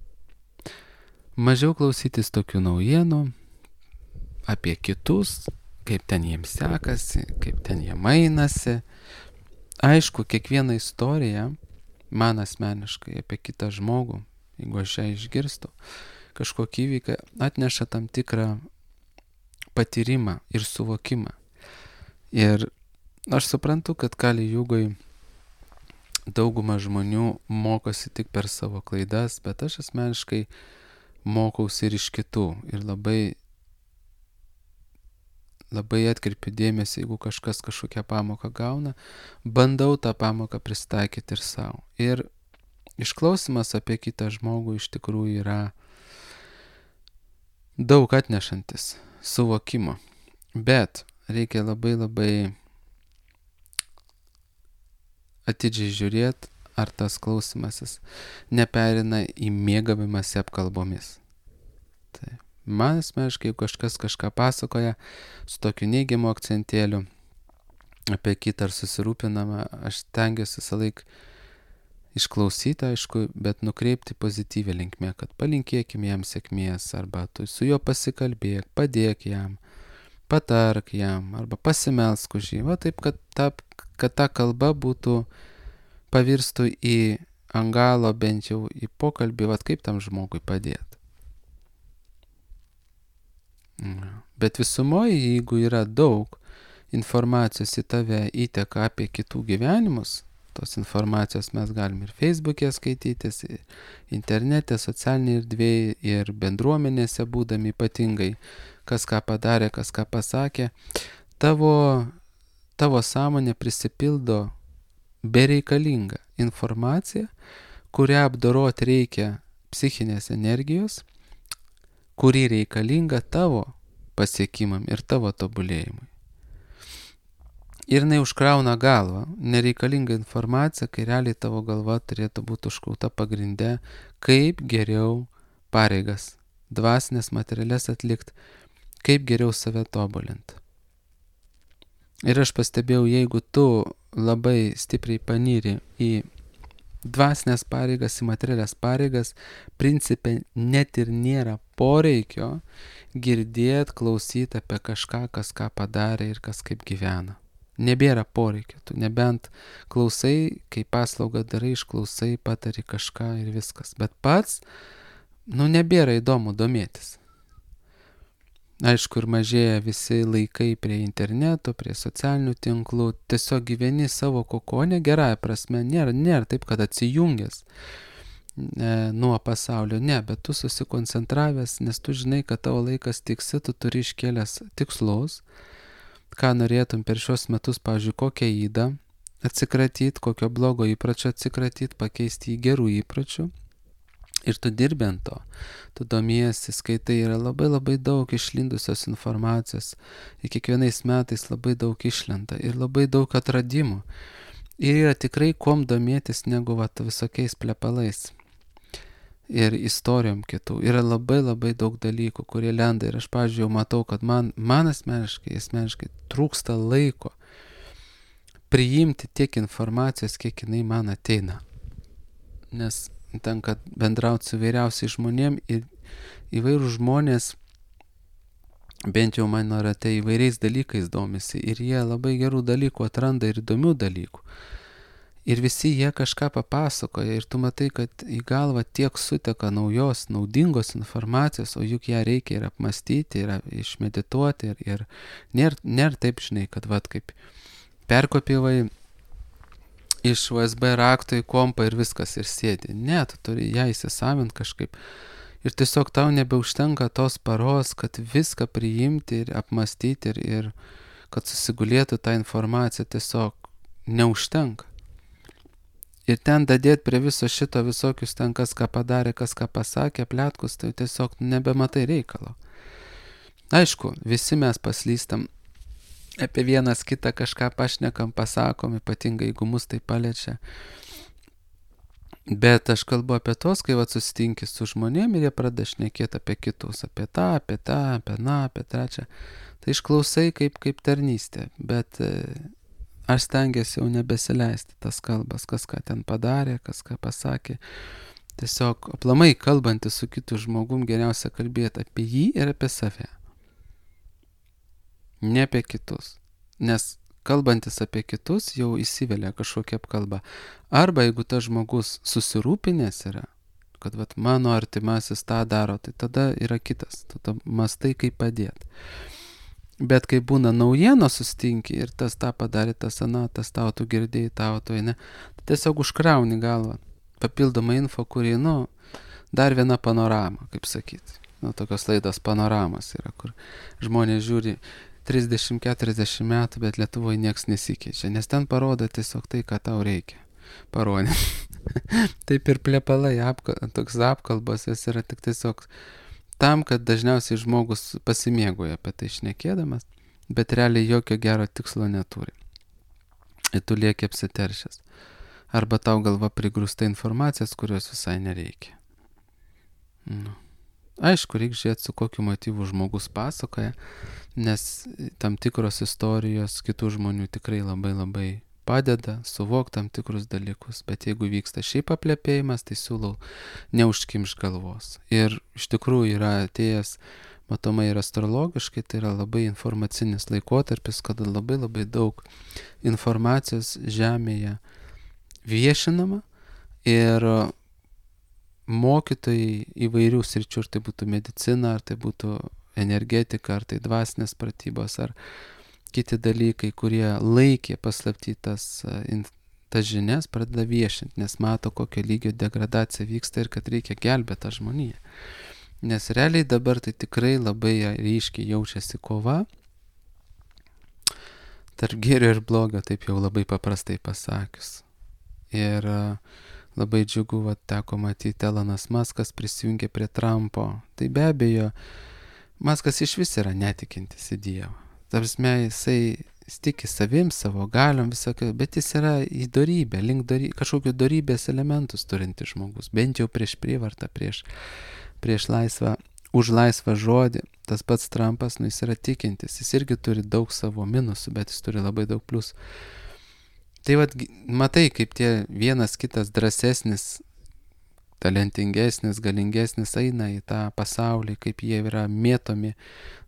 Speaker 1: Mažiau klausytis tokių naujienų apie kitus, kaip ten jiems sekasi, kaip ten jie mainasi. Aišku, kiekviena istorija, man asmeniškai apie kitą žmogų, jeigu aš ją išgirstu, kažkokį įvyką, atneša tam tikrą patyrimą ir suvokimą. Ir aš suprantu, kad Kali Jugoj dauguma žmonių mokosi tik per savo klaidas, bet aš asmeniškai mokausi ir iš kitų. Ir labai atkreipiu dėmesį, jeigu kažkas kažkokią pamoką gauna, bandau tą pamoką pristaikyti ir savo. Ir išklausimas apie kitą žmogų iš tikrųjų yra daug atnešantis suvokimo. Bet reikia labai atidžiai žiūrėti, ar tas klausimasis neperina į mėgavimąsi apkalbomis. Tai man asmeniškai, jeigu kažkas kažką pasakoja su tokiu neigiamu akcentėliu apie kitą ar susirūpinamą, aš stengiuosi visą laiką išklausyti, aišku, bet nukreipti pozityvę linkmę, kad palinkėkim jam sėkmės, arba tu su juo pasikalbėk, padėk jam, patark jam, arba pasimelsk už jį. Va taip, kad ta kalba pavirstų į angalo, bent jau į pokalbį, va kaip tam žmogui padėti. Bet visumoje, jeigu yra daug informacijos į tave įteka apie kitų gyvenimus, tos informacijos mes galim ir Facebook'e skaitytis, ir internete, socialinėje erdvėje, ir bendruomenėse būdami ypatingai, kas ką padarė, kas ką pasakė, tavo sąmonė prisipildo bereikalinga informacija, kurią apdoroti reikia psichinės energijos, kuri reikalinga tavo pasiekimam ir tavo tobulėjimui. Ir jinai užkrauna galvą, nereikalinga informacija, kai realiai tavo galva turėtų būti užkrauta pagrinde, kaip geriau pareigas, dvasinės, materialias atlikti, kaip geriau save tobulinti. Ir aš pastebėjau, jeigu tu labai stipriai panyri į dvasinės pareigas, į materialias pareigas, principe net ir nėra poreikio girdėti, klausyti apie kažką, kas ką padarė ir kas kaip gyvena. Nebėra poreikio, tu nebent klausai, kai paslaugą darai, išklausai, patari kažką ir viskas. Bet pats, nebėra įdomu domėtis. Aišku, ir mažėja visi laikai prie interneto, prie socialinių tinklų, tiesiog gyveni savo kokone, gerąja prasme, nėra taip, kad atsijungęs nuo pasaulio, ne, bet tu susikoncentravęs, nes tu žinai, kad tavo laikas tiksi, tu turi iškėlęs tikslus, ką norėtum per šios metus, pavyzdžiui, kokią ydą atsikratyti, kokio blogo įpračio atsikratyti, pakeisti į gerų įpračių. Ir tu dirbi ant to, tu domiesi, skaitai, yra labai daug išlindusios informacijos, ir kiekvienais metais labai daug išlenda ir labai daug atradimų. Ir yra tikrai kuom domėtis negu visokiais plepalais ir istorijom kitų. Yra labai daug dalykų, kurie lenda ir aš, pavyzdžiui, jau matau, kad man asmeniškai trūksta laiko priimti tiek informacijos, kiek jinai man ateina. Nes tenka bendrauti su įvairiausiais žmonėm ir įvairūs žmonės, bent jau mano rate, įvairiais dalykais domisi ir jie labai gerų dalykų atranda ir įdomių dalykų. Ir visi jie kažką papasakoja ir tu matai, kad į galvą tiek suteka naujos, naudingos informacijos, o juk ją reikia ir apmastyti, ir išmedituoti ir nėra taip, žinai, kad kaip perkopijai iš USB rakto į kompą ir viskas ir sėdi. Ne, tu turi ją įsisavint kažkaip. Ir tiesiog tau nebeužtenka tos paros, kad viską priimti ir apmastyti ir kad susigulėtų tą informaciją, tiesiog neužtenka. Ir ten dadėti prie viso šito visokius ten, kas ką padarė, kas ką pasakė, pletkus, tai tiesiog nebematai reikalo. Aišku, visi mes paslystam, apie vienas kitą kažką pašnekam, pasakom, ypatingai jeigu mus tai paliečia. Bet aš kalbu apie tos, kai susitinki su žmonėm ir jie pradeda šnekėti apie kitus, apie tą, apie aną, apie trečią. Tai išklausai kaip tarnystė, bet aš stengiuosi jau nebesileisti tas kalbas, kas ką ten padarė, kas ką pasakė. Tiesiog aplamai kalbantis su kitu žmogum geriausia kalbėti apie jį ir apie save. Ne apie kitus. Nes kalbantis apie kitus jau įsivelia kažkokia apkalba. Arba jeigu tas žmogus susirūpinęs yra, kad mano artimasis tą daro, tai tada yra kitas. Tada mastai kaip padėti. Bet kai būna naujienos sustinki ir tas tą padarė, tas aną, tas tau tu girdėjai, tau tu ne, tai tiesiog užkrauni galvą. Papildoma info, kuri, dar viena panorama, kaip sakyti. Tokios laidos panoramos yra, kur žmonės žiūri 30-40 metų, bet Lietuvoje nieks nesikeičia, nes ten parodo tiesiog tai, ką tau reikia parodyti. Taip ir plepalai, toks apkalbos, jis yra tik tiesiog tam, kad dažniausiai žmogus pasimėgoja apie tai šnekėdamas, bet realiai jokio gero tikslo neturi. Ir tu lieki apsiteršęs. Arba tau galva prigrūsta informacijos, kurios visai nereikia. Aišku, reikia žiūrėti, su kokiu motyvu žmogus pasakoja, nes tam tikros istorijos kitų žmonių tikrai labai labai padeda suvokti tam tikrus dalykus. Bet jeigu vyksta šiaip aplepėjimas, tai siūlau neužkimšt galvos. Ir iš tikrųjų yra atėjęs, matomai ir astrologiškai, tai yra labai informacinis laikotarpis, kada labai labai daug informacijos Žemėje viešinama ir mokytojai įvairių sričių, ar tai būtų medicina, ar tai būtų energetika, ar tai dvasinės pratybos, ar kiti dalykai, kurie laikė paslapti tas žinias, pradeda viešinti, nes mato, kokio lygio degradacija vyksta ir kad reikia gelbėti tą žmoniją. Nes realiai dabar tai tikrai labai ryškiai jaučiasi kova tarp gėrio ir blogio, taip jau labai paprastai pasakius. Ir labai džiugu, teko matyti, Elonas Muskas prisijungė prie Trumpo. Tai be abejo, Muskas iš vis yra netikintis į Dievą. Tarsi jisai tiki savim, savo galiom, visokio, bet jis yra į dorybę, kažkokių dorybės elementus turintis žmogus, bent jau prieš prievartą, prieš laisvą, už laisvą žodį. Tas pats Trumpas, jis yra tikintis, jis irgi turi daug savo minusų, bet jis turi labai daug pliusų. Tai matai, kaip tie vienas kitas drąsesnis, talentingesnis, galingesnis eina į tą pasaulį, kaip jie yra mėtomi,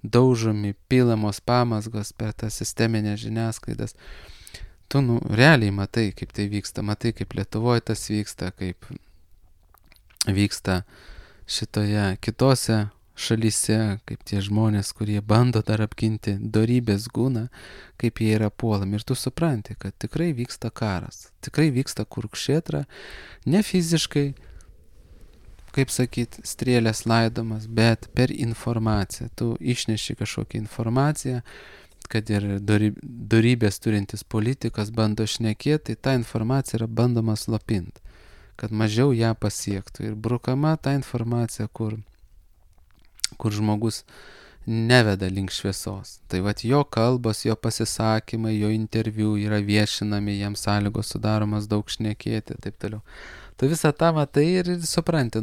Speaker 1: daužomi, pilamos pamazgos per tas sisteminės žiniasklaidas. Tu realiai matai, kaip tai vyksta, matai, kaip Lietuvoje tas vyksta, kaip vyksta šitoje kitose šalyse, kaip tie žmonės, kurie bando dar apginti dorybės gūną, kaip jie yra puolami. Ir tu supranti, kad tikrai vyksta karas, tikrai vyksta kurkšėtra, ne fiziškai, kaip sakyti, strėlės laidomas, bet per informaciją. Tu išneši kažkokią informaciją, kad ir dorybės turintis politikas bando šnekėti, tai ta informacija yra bandoma slopinti, kad mažiau ją pasiektų. Ir brukama ta informacija, kur žmogus neveda link šviesos. Tai jo kalbos, jo pasisakymai, jo interviu yra viešinami, jam sąlygos sudaromas daug šnekėti ir taip toliau. Tu visą tą matai ir supranti,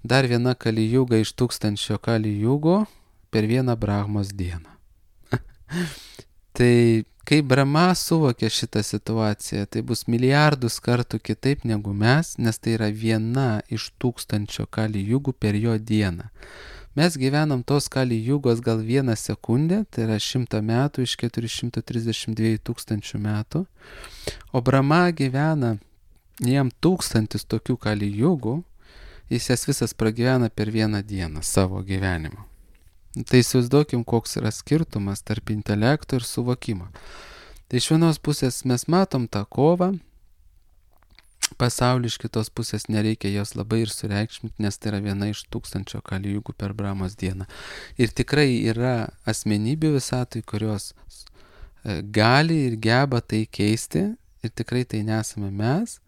Speaker 1: dar viena kalijūga iš 1000 kalijūgų per vieną Brahmos dieną. Tai kai Brahma suvokė šitą situaciją, tai bus milijardus kartų kitaip negu mes, nes tai yra viena iš 1000 kalijūgų per jo dieną. Mes gyvenam tos kalijūgos gal 1 sekundę, tai yra 100 metų iš 432 000 metų, o Brahma gyvena jam 1000 tokių kalijūgų, jis jas visas pragyvena per vieną dieną savo gyvenimo. Tai įsivaizduokim, koks yra skirtumas tarp intelekto ir suvokimo. Tai iš vienos pusės mes matom tą kovą, pasaulį, iš kitos pusės nereikia jos labai ir sureikšminti, nes tai yra viena iš 1000 kalijugų per Brahmos dieną. Ir tikrai yra asmenybių visatoj, kurios gali ir geba tai keisti, ir tikrai tai nesame mes.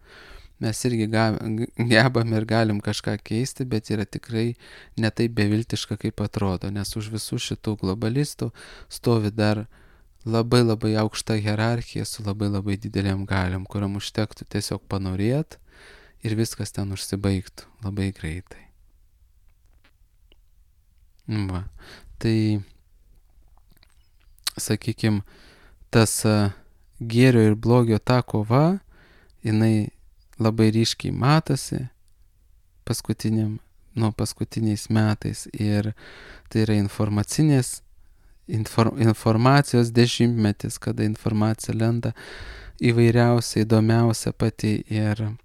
Speaker 1: Mes irgi gebam ir galim kažką keisti, bet yra tikrai ne taip beviltiška, kaip atrodo, nes už visų šitų globalistų stovi dar labai labai aukšta hierarchija su labai labai dideliam galiam, kuriam užtektų tiesiog panorėt ir viskas ten užsibaigtų labai greitai. Va. Tai, sakykime, tas gėrio ir blogio ta kova, jinai labai ryškiai matosi paskutiniais metais, ir tai yra informacijos dešimtmetis, kada informacija lenda įvairiausia, įdomiausia pati, ir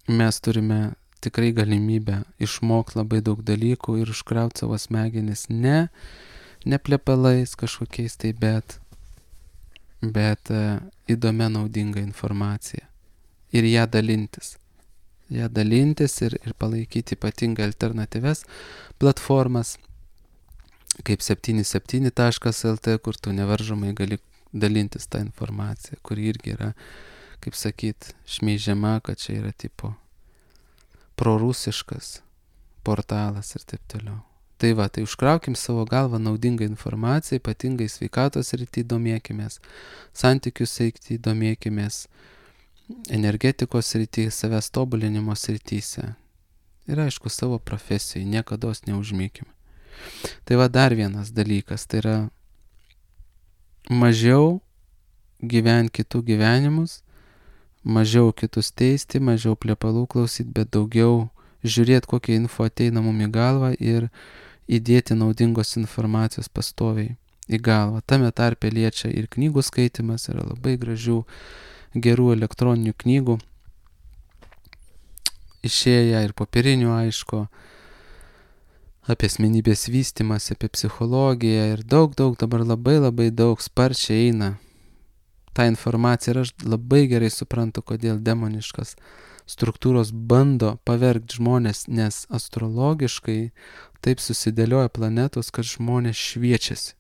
Speaker 1: mes turime tikrai galimybę išmokti labai daug dalykų ir užkrauti savo smegenis ne plepalais kažkokiais tai, bet įdomia naudinga informacija. Ir ją dalintis ir palaikyti ypatingai alternatyves platformas, kaip 77.lt, kur tu nevaržomai gali dalintis tą informaciją, kuri irgi yra, kaip sakyt, šmeižiama, kad čia yra tipo prorusiškas portalas ir taip toliau. Tai va, tai užkraukim savo galvą naudingą informaciją, ypatingai sveikatos srity domėkimės, santykių srity domėkimės, energetikos srity, savęs tobulinimo srityse. Ir aišku, savo profesijai niekados neužmykime. Tai va dar vienas dalykas, tai yra mažiau gyventi kitų gyvenimus, mažiau kitus teisti, mažiau plepalų klausyti, bet daugiau žiūrėti, kokia info ateina mum į galvą ir įdėti naudingos informacijos pastoviai į galvą. Tame tarpe liečia ir knygų skaitimas, yra labai gražių gerų elektroninių knygų išėję ir popierinių, aišku, apie asmenybės vystymas, apie psichologiją, ir daug dabar labai daug sparčiai eina ta informacija, ir aš labai gerai suprantu, kodėl demoniškas struktūros bando pavergti žmonės, nes astrologiškai taip susidėlioja planetos, kad žmonės šviečiasi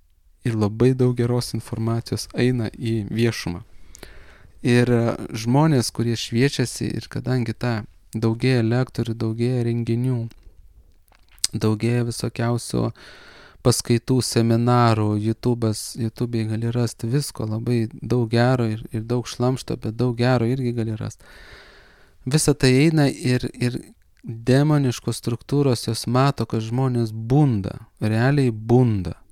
Speaker 1: ir labai daug geros informacijos eina į viešumą. Ir žmonės, kurie šviečiasi, ir kadangi daugėja lektorių, daugėja renginių, daugėja visokiausių paskaitų, seminarų, YouTube'ai gali rasti visko, labai daug gero ir daug šlamšto, bet daug gero irgi gali rasti. Visa tai eina ir demoniškos struktūros jos mato, kad žmonės bunda, realiai bunda.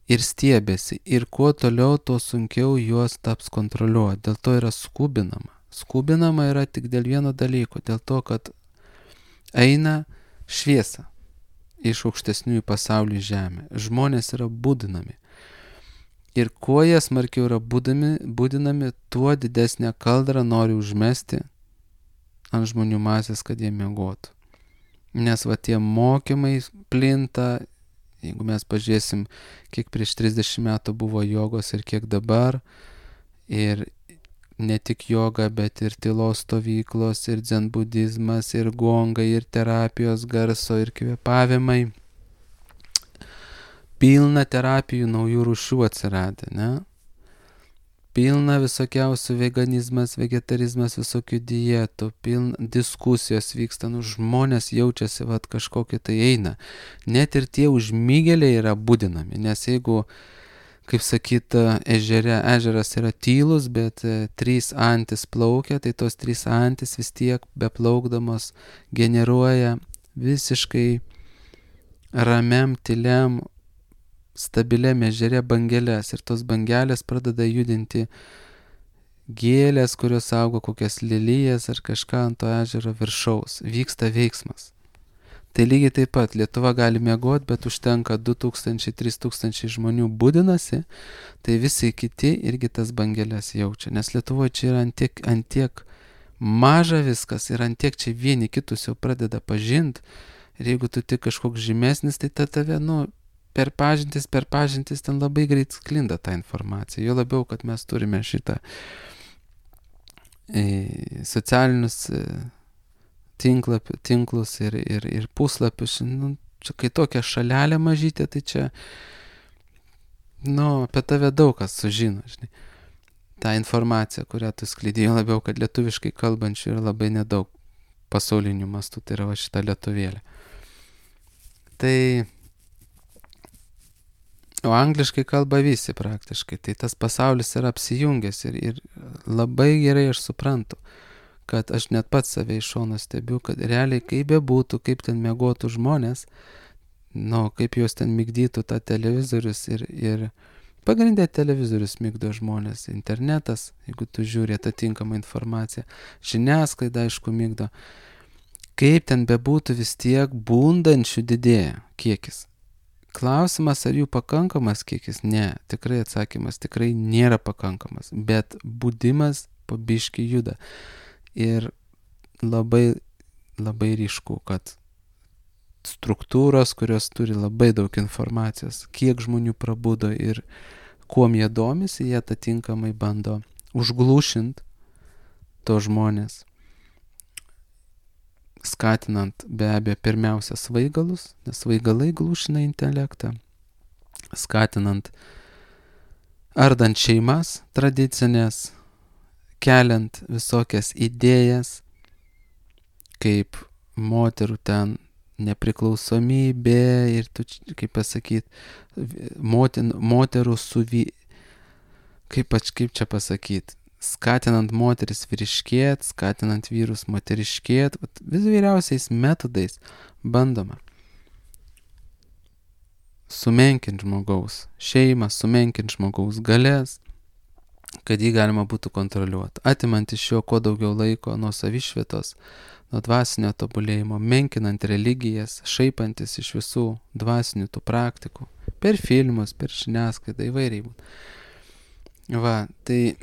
Speaker 1: Ir stiebėsi, ir kuo toliau, tuo sunkiau juos taps kontroliuoti. Dėl to yra skubinama. Skubinama yra tik dėl vieno dalyko, dėl to, kad eina šviesa iš aukštesniųjų pasaulių žemę. Žmonės yra būdinami. Ir kuo jie smarkiau yra būdinami, tuo didesnę kaldrą nori užmesti ant žmonių masės, kad jie miegotų. Nes va tie mokymai plinta. Jeigu mes pažiūrėsim, kiek prieš 30 metų buvo jogos ir kiek dabar, ir ne tik joga, bet ir tylos stovyklos, ir dzenbudizmas, ir gongai, ir terapijos garso, ir kvėpavimai. Pilna terapijų naujų rūšių atsiradę, ne? Pilna visokiausių veganizmas, vegetarizmas, visokių dietų, pilna diskusijos vyksta, žmonės jaučiasi, kažkokie tai eina. Net ir tie užmygėliai yra būdinami, nes jeigu, kaip sakyt, ežeras yra tylus, bet 3 antis plaukia, tai tos 3 antis vis tiek beplaukdamos generuoja visiškai ramiam, tyliam, stabiliam ežere bangelės, ir tos bangelės pradeda judinti gėlės, kurios augo, kokias lelijas ar kažką ant to ežero viršaus. Vyksta veiksmas. Tai lygiai taip pat Lietuva gali miegoti, bet užtenka 2000-3000 žmonių būdinasi, tai visi kiti irgi tas bangelės jaučia. Nes Lietuvoje čia yra ant tiek maža viskas, ir ant tiek čia vieni kitus jau pradeda pažinti, ir jeigu tu tik kažkoks žymesnis, tai tave, per pažintis ten labai greit sklinda ta informacija. Jo labiau, kad mes turime šitą socialinius tinklus ir puslapius. Nu, čia kai tokia šalelė mažytė, tai čia, nu, apie tave daug kas sužino, žinai. Ta informacija, kurią tu skleidėjai, labiau, kad lietuviškai kalbančių yra labai nedaug pasaulinių mastų, tai yra va šita lietuvėlė. Tai, o angliškai kalba visi praktiškai, tai tas pasaulis yra apsijungęs ir labai gerai aš suprantu, kad aš net pats save iš šono stebiu, kad realiai kaip bebūtų, kaip ten miegotų žmonės, nu, kaip juos ten migdytų tą televizorius ir pagrindė televizorius migdo žmonės, internetas, jeigu tu žiūri atitinkamą informaciją, žiniasklaida aišku migdo, kaip ten bebūtų vis tiek bundančių didėja kiekis. Klausimas, ar jų pakankamas kiekis? Ne, tikrai atsakymas tikrai nėra pakankamas, bet budimas po biškį juda. Ir labai, labai ryšku, kad struktūros, kurios turi labai daug informacijos, kiek žmonių prabudo ir kuom jie domisi, jie atitinkamai bando užglūšint to žmonės, skatinant be abejo pirmiausia svaigalus, nes svaigalai glūšina intelektą, skatinant, ardant šeimas tradicinės, keliant visokias idėjas, kaip moterų ten nepriklausomybė ir tu, kaip pasakyti, moterų kaip čia pasakyti, skatinant moteris vyriškėt, skatinant vyrus moteriškėt, vis vyriausiais metodais bandoma sumenkinti žmogaus šeimą, sumenkinti žmogaus galės, kad jį galima būtų kontroliuoti, atimant iš jo kuo daugiau laiko nuo savišvietos, nuo dvasinio tobulėjimo, menkinant religijas, šaipantis iš visų dvasinių tų praktikų, per filmus, per žiniasklaidą įvairiai būtų. Va, tai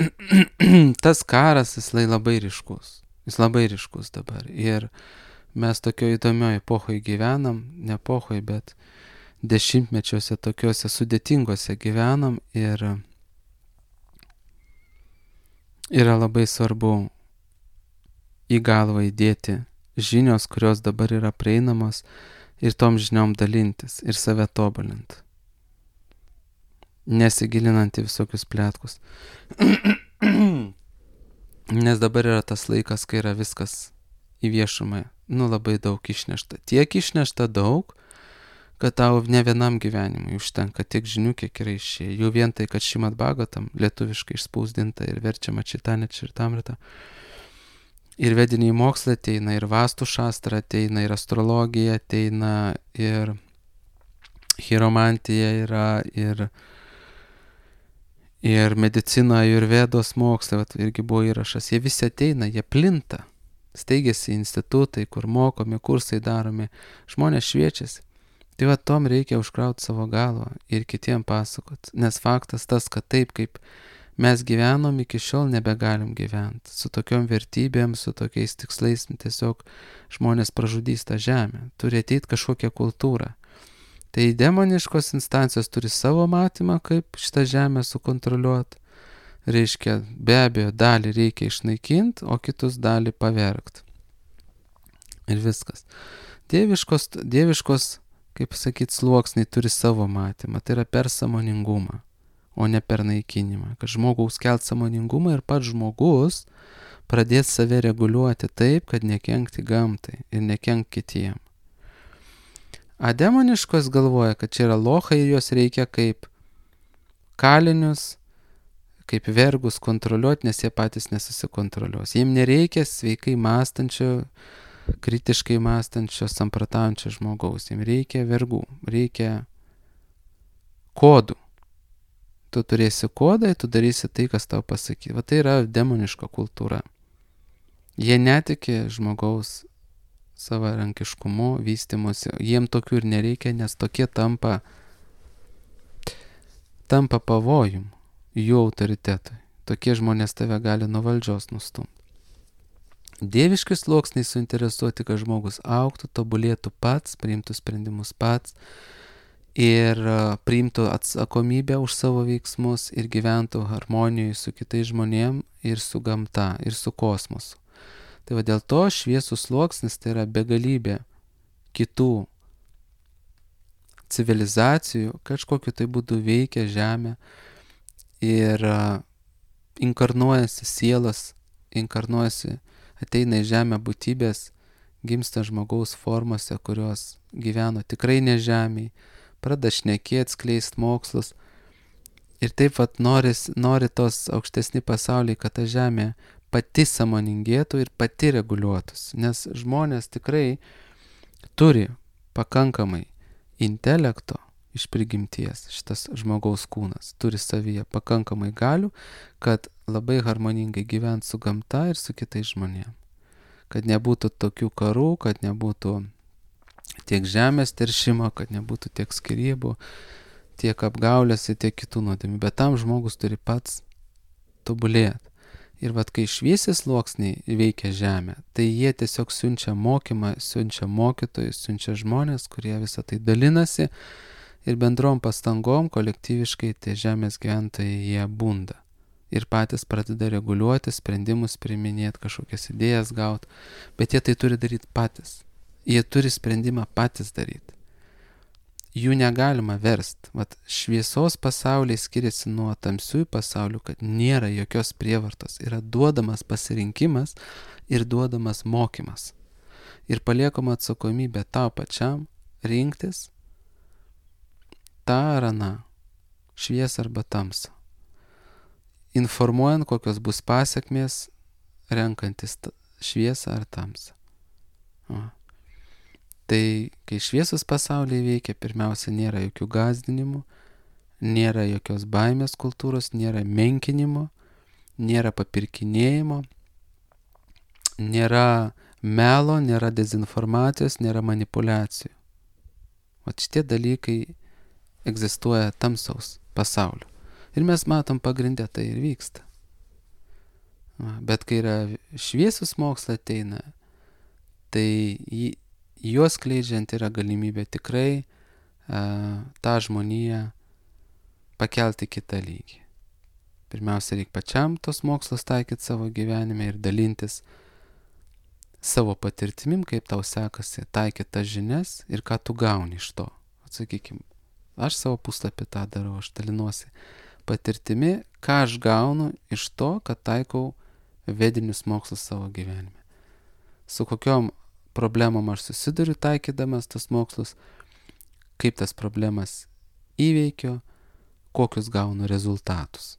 Speaker 1: tas karas jis labai ryškus dabar ir mes tokio įdomioje epochoje gyvenam, ne epochoje, bet dešimtmečiuose tokiuose sudėtingose gyvenam ir yra labai svarbu į galvą įdėti žinios, kurios dabar yra prieinamos ir tom žiniom dalintis ir save tobulinti, nesigilinant į visokius pletkus. Nes dabar yra tas laikas, kai yra viskas į viešumą, nu labai daug išnešta. Tiek išnešta daug, kad tau ne vienam gyvenimui užtenka tiek žinių, kiek yra išėję. Jau vien tai, kad Šrimad Bhagavatam lietuviškai išspausdinta ir verčiama Čitanya Čaritamrita. Ir vediniai mokslai ateina, ir Vastu Šastra ateina, ir astrologija ateina, ir chiromantija yra, ir medicina, Ajurvedos mokslai, irgi buvo įrašas. Jie visi ateina, jie plinta. Steigiasi institutai, kur mokomi, kursai daromi, žmonės šviečiasi. Tai va, tom reikia užkrauti savo galvą ir kitiem pasakot. Nes faktas tas, kad taip, kaip mes gyvenom, iki šiol nebegalim gyventi. Su tokiom vertybėm, su tokiais tikslais, tiesiog žmonės pražudys tą žemę. Turi ateiti kažkokia kultūra. Tai demoniškos instancijos turi savo matymą, kaip šitą žemę sukontroliuoti. Reiškia, be abejo, dalį reikia išnaikinti, o kitus dalį pavergti. Ir viskas. Dieviškos, kaip sakyti, sluoksniai turi savo matymą. Tai yra per sąmoningumą, o ne per naikinimą. Kad žmogaus kelt sąmoningumą ir pats žmogus pradės save reguliuoti taip, kad nekenkti gamtai ir nekenkti kitiem. A demoniškos galvoja, kad čia yra lochai ir juos reikia kaip kalinius, kaip vergus kontroliuoti, nes jie patys nesusikontroliuos. Jiems nereikia sveikai mąstančio, kritiškai mąstančio, samprotaujančio žmogaus. Jiems reikia vergų, reikia kodų. Tu turėsi kodą, tu darysi tai, kas tau pasakyti. Va tai yra demoniška kultūra. Jie netiki žmogaus savarankiškumu, vystimusi. Jiem tokių ir nereikia, nes tokie tampa pavojum jų autoritetui. Tokie žmonės tave gali nuo valdžios nustumti. Dieviški sluoksniai suinteresuoti, kad žmogus augtų, tobulėtų pats, priimtų sprendimus pats ir priimtų atsakomybę už savo veiksmus ir gyventų harmonijoje su kitais žmonėm ir su gamta, ir su kosmosu. Tai va dėl to šviesų sluoksnis tai yra begalybė kitų civilizacijų, kažkokiu tai būdu veikia Žemę ir inkarnuojasi sielas, ateina į Žemę būtybės, gimsta žmogaus formose, kurios gyveno tikrai ne Žemėje, pradeda šnekėti, skleist mokslus. Ir taip vat nori tos aukštesni pasauliai, kad ta Žemė pati sąmoningėtų ir pati reguliuotųsi. Nes žmonės tikrai turi pakankamai intelekto iš prigimties, šitas žmogaus kūnas turi savyje pakankamai galių, kad labai harmoningai gyvent su gamta ir su kitais žmonėmis. Kad nebūtų tokių karų, kad nebūtų tiek žemės teršimo, kad nebūtų tiek skyrybų, tiek apgaulės ir tiek kitų nuodėmių. Bet tam žmogus turi pats tobulėti. Ir vat kai šviesi sluoksniai veikia Žemę, tai jie tiesiog siunčia mokymą, siunčia mokytojus, siunčia žmonės, kurie visą tai dalinasi ir bendrom pastangom kolektyviškai tie Žemės gyventojai jie bunda. Ir patys pradeda reguliuoti, sprendimus priiminėti, kažkokias idėjas gauti, bet jie tai turi daryti patys. Jie turi sprendimą patys daryti. Jų negalima versti. Vat šviesos pasauliai skiriasi nuo tamsiųjų pasaulių, kad nėra jokios prievartos. Yra duodamas pasirinkimas ir duodamas mokymas. Ir paliekama atsakomybė tau pačiam rinktis tą ar aną, šviesą arba tamsą. Informuojant, kokios bus pasiekmės, renkantis šviesą ar tamsą. Tai kai šviesos pasaulyje veikia, pirmiausia, nėra jokių gąsdinimų, nėra jokios baimės kultūros, nėra menkinimo, nėra papirkinėjimo, nėra melo, nėra dezinformacijos, nėra manipulacijų. O šitie dalykai egzistuoja tamsaus pasaulio. Ir mes matom pagrindę tai ir vyksta. Bet kai yra šviesus mokslas ateina, tai juos skleidžiant yra galimybė tikrai tą žmoniją pakelti kitą lygį. Pirmiausia, reikia pačiam tos mokslus taikyti savo gyvenime ir dalintis savo patirtimim, kaip tau sekasi taikyti tas žinias ir ką tu gauni iš to. Atsakykim, aš savo puslapį tą darau, aš dalinuosi patirtimi, ką aš gaunu iš to, kad taikau vedinius mokslus savo gyvenime. Su kokiom problemom aš susiduriu taikydamas tas mokslus, kaip tas problemas įveikiu, kokius gaunu rezultatus.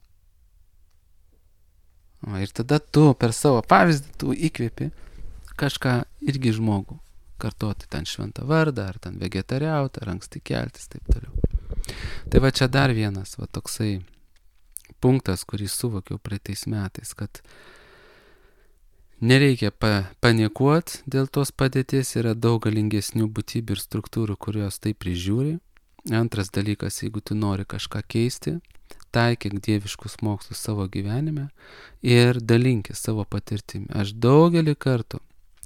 Speaker 1: Ir tada tu per savo pavyzdį tu įkvėpi kažką irgi žmogų kartoti ten šventą vardą, ar ten vegetariauti, ar anksti keltis, taip toliau. Tai va čia dar vienas va toksai punktas, kurį suvokiau praeitais metais, kad nereikia panikuoti dėl tos padėties, yra daug galingesnių būtybių ir struktūrų, kurios tai prižiūri. Antras dalykas, jeigu tu nori kažką keisti, taikyk dieviškus mokslus savo gyvenime ir dalinkis savo patirtimi. Aš daugelį kartų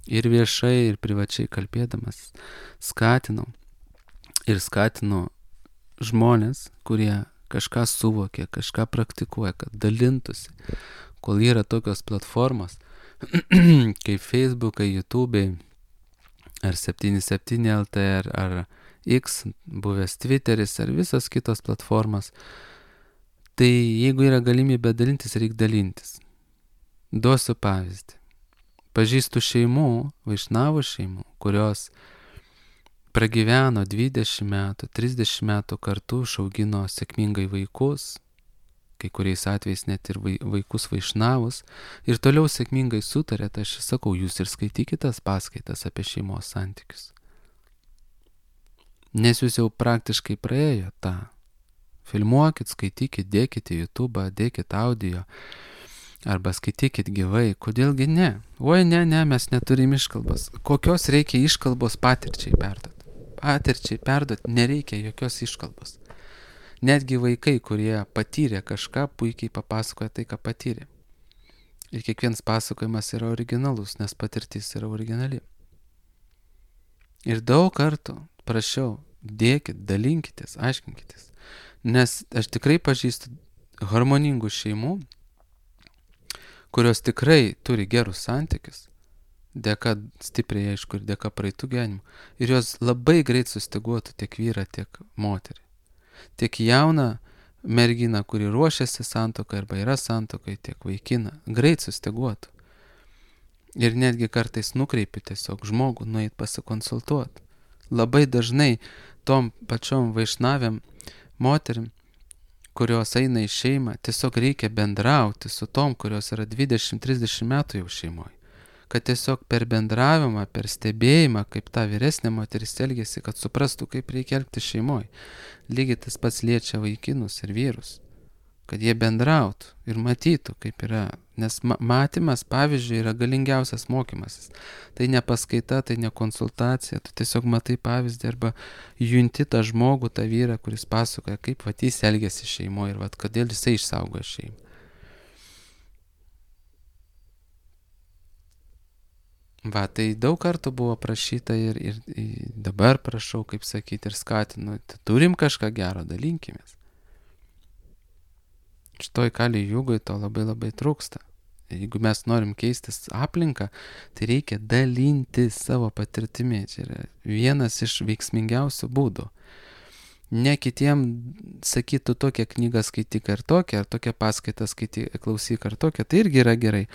Speaker 1: ir viešai, ir privačiai kalbėdamas skatinu žmonės, kurie kažką suvokia, kažką praktikuoja, kad dalintųsi, kol yra tokios platformos kaip Facebookai, YouTube'ai, ar 77 LT, ar X, buvęs Twitteris, ar visos kitos platformos. Tai jeigu yra galimybė dalintis, reikia dalintis. Duosiu pavyzdį. Pažįstu šeimų, vaišnavų šeimų, kurios pragyveno 20 metų, 30 metų kartu, išaugino sėkmingai vaikus, kai kuriais atvejais net ir vaikus vaišnavus, ir toliau sėkmingai sutarė, tai aš sakau, jūs ir skaitykite tas paskaitas apie šeimos santykius. Nes jūs jau praktiškai praėjo tą. Filmuokit, skaitykit, dėkit į YouTube, dėkit audio, arba skaitykit gyvai. Kodėlgi ne? Oi, ne, mes neturim iškalbos. Kokios reikia iškalbos patirčiai perduoti? Patirčiai perduoti nereikia jokios iškalbos. Netgi vaikai, kurie patyrė kažką, puikiai papasakoja tai, ką patyrė. Ir kiekvienas pasakojimas yra originalus, nes patirtis yra originali. Ir daug kartų prašiau, dėkit, dalinkitės, aiškinkitės. Nes aš tikrai pažįstu harmoningų šeimų, kurios tikrai turi gerus santykius, dėka stipriai, aišku, ir dėka praeitų gyvenimų. Ir jos labai greit sustyguotų tiek vyrą, tiek moterį. Tiek jauną merginą, kuri ruošiasi santuokai arba yra santuokai, tiek vaikiną, greit sustyguotų. Ir netgi kartais nukreipi tiesiog žmogų nueit pasikonsultuoti. Labai dažnai tom pačiom vaišnavėm moterim, kurios eina į šeimą, tiesiog reikia bendrauti su tom, kurios yra 20-30 metų jau šeimoje. Kad tiesiog per bendravimą, per stebėjimą, kaip ta vyresnė moteris elgėsi, kad suprastų, kaip reikia elgti šeimoje. Lygiai tas pats liečia vaikinus ir vyrus. Kad jie bendrautų ir matytų, kaip yra. Nes matymas, pavyzdžiui, yra galingiausias mokymasis. Tai ne paskaita, tai ne konsultacija. Tu tiesiog matai pavyzdį arba junti tą žmogų, tą vyrą, kuris pasakoja, kaip jis elgėsi šeimoje ir kodėl jisai išsaugojo šeimą. Tai daug kartų buvo prašyta ir dabar prašau, kaip sakyti, ir skatinu. Turim kažką gero, dalinkimės. Šitoj kali jūgoj to labai labai trūksta. Jeigu mes norim keistis aplinką, tai reikia dalinti savo patirtimi. Čia yra vienas iš veiksmingiausių būdų. Ne kitiem sakytų tokią knygą skaityk ar tokią paskaitą klausyk ar tokią, tai irgi yra gerai.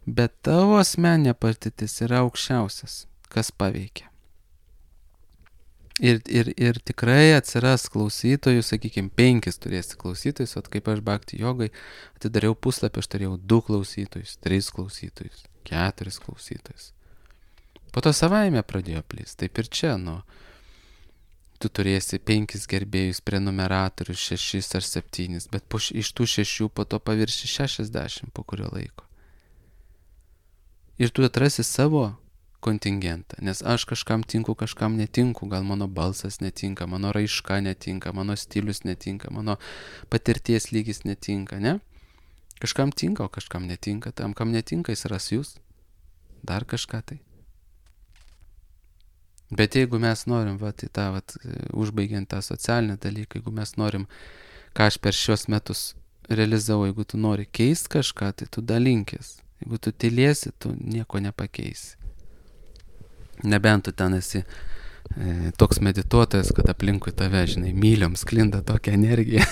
Speaker 1: Bet tavo asmeninė patirtis yra aukščiausias, kas paveikia. Ir tikrai atsiras klausytojų, sakykime, 5 turėsi klausytojus, o kaip aš Bhakti jogai atidariau puslapį, aš turėjau 2 klausytojus, 3 klausytojus, 4 klausytojus. Po to savaime pradėjo plisti, taip ir čia, tu turėsi 5 gerbėjus, prenumeratorius, 6 ar 7, bet iš tų 6 po to pavirši 60 po kurio laiko. Ir tu atrasi savo kontingentą, nes aš kažkam tinku, kažkam netinku, gal mano balsas netinka, mano raiška netinka, mano stilius netinka, mano patirties lygis netinka, ne? Kažkam tinka, o kažkam netinka, tam, kam netinka, jis ras jūs, dar kažką tai. Bet jeigu mes norim, užbaigiant tą socialinį dalyką, jeigu mes norim, ką aš per šios metus realizavau, jeigu tu nori keisti kažką, tai tu dalinkis. Jeigu tu tylėsi, tu nieko nepakeisi. Nebent tu ten esi toks medituotojas, kad aplinkui tave, žinai, myliom sklinda tokia energija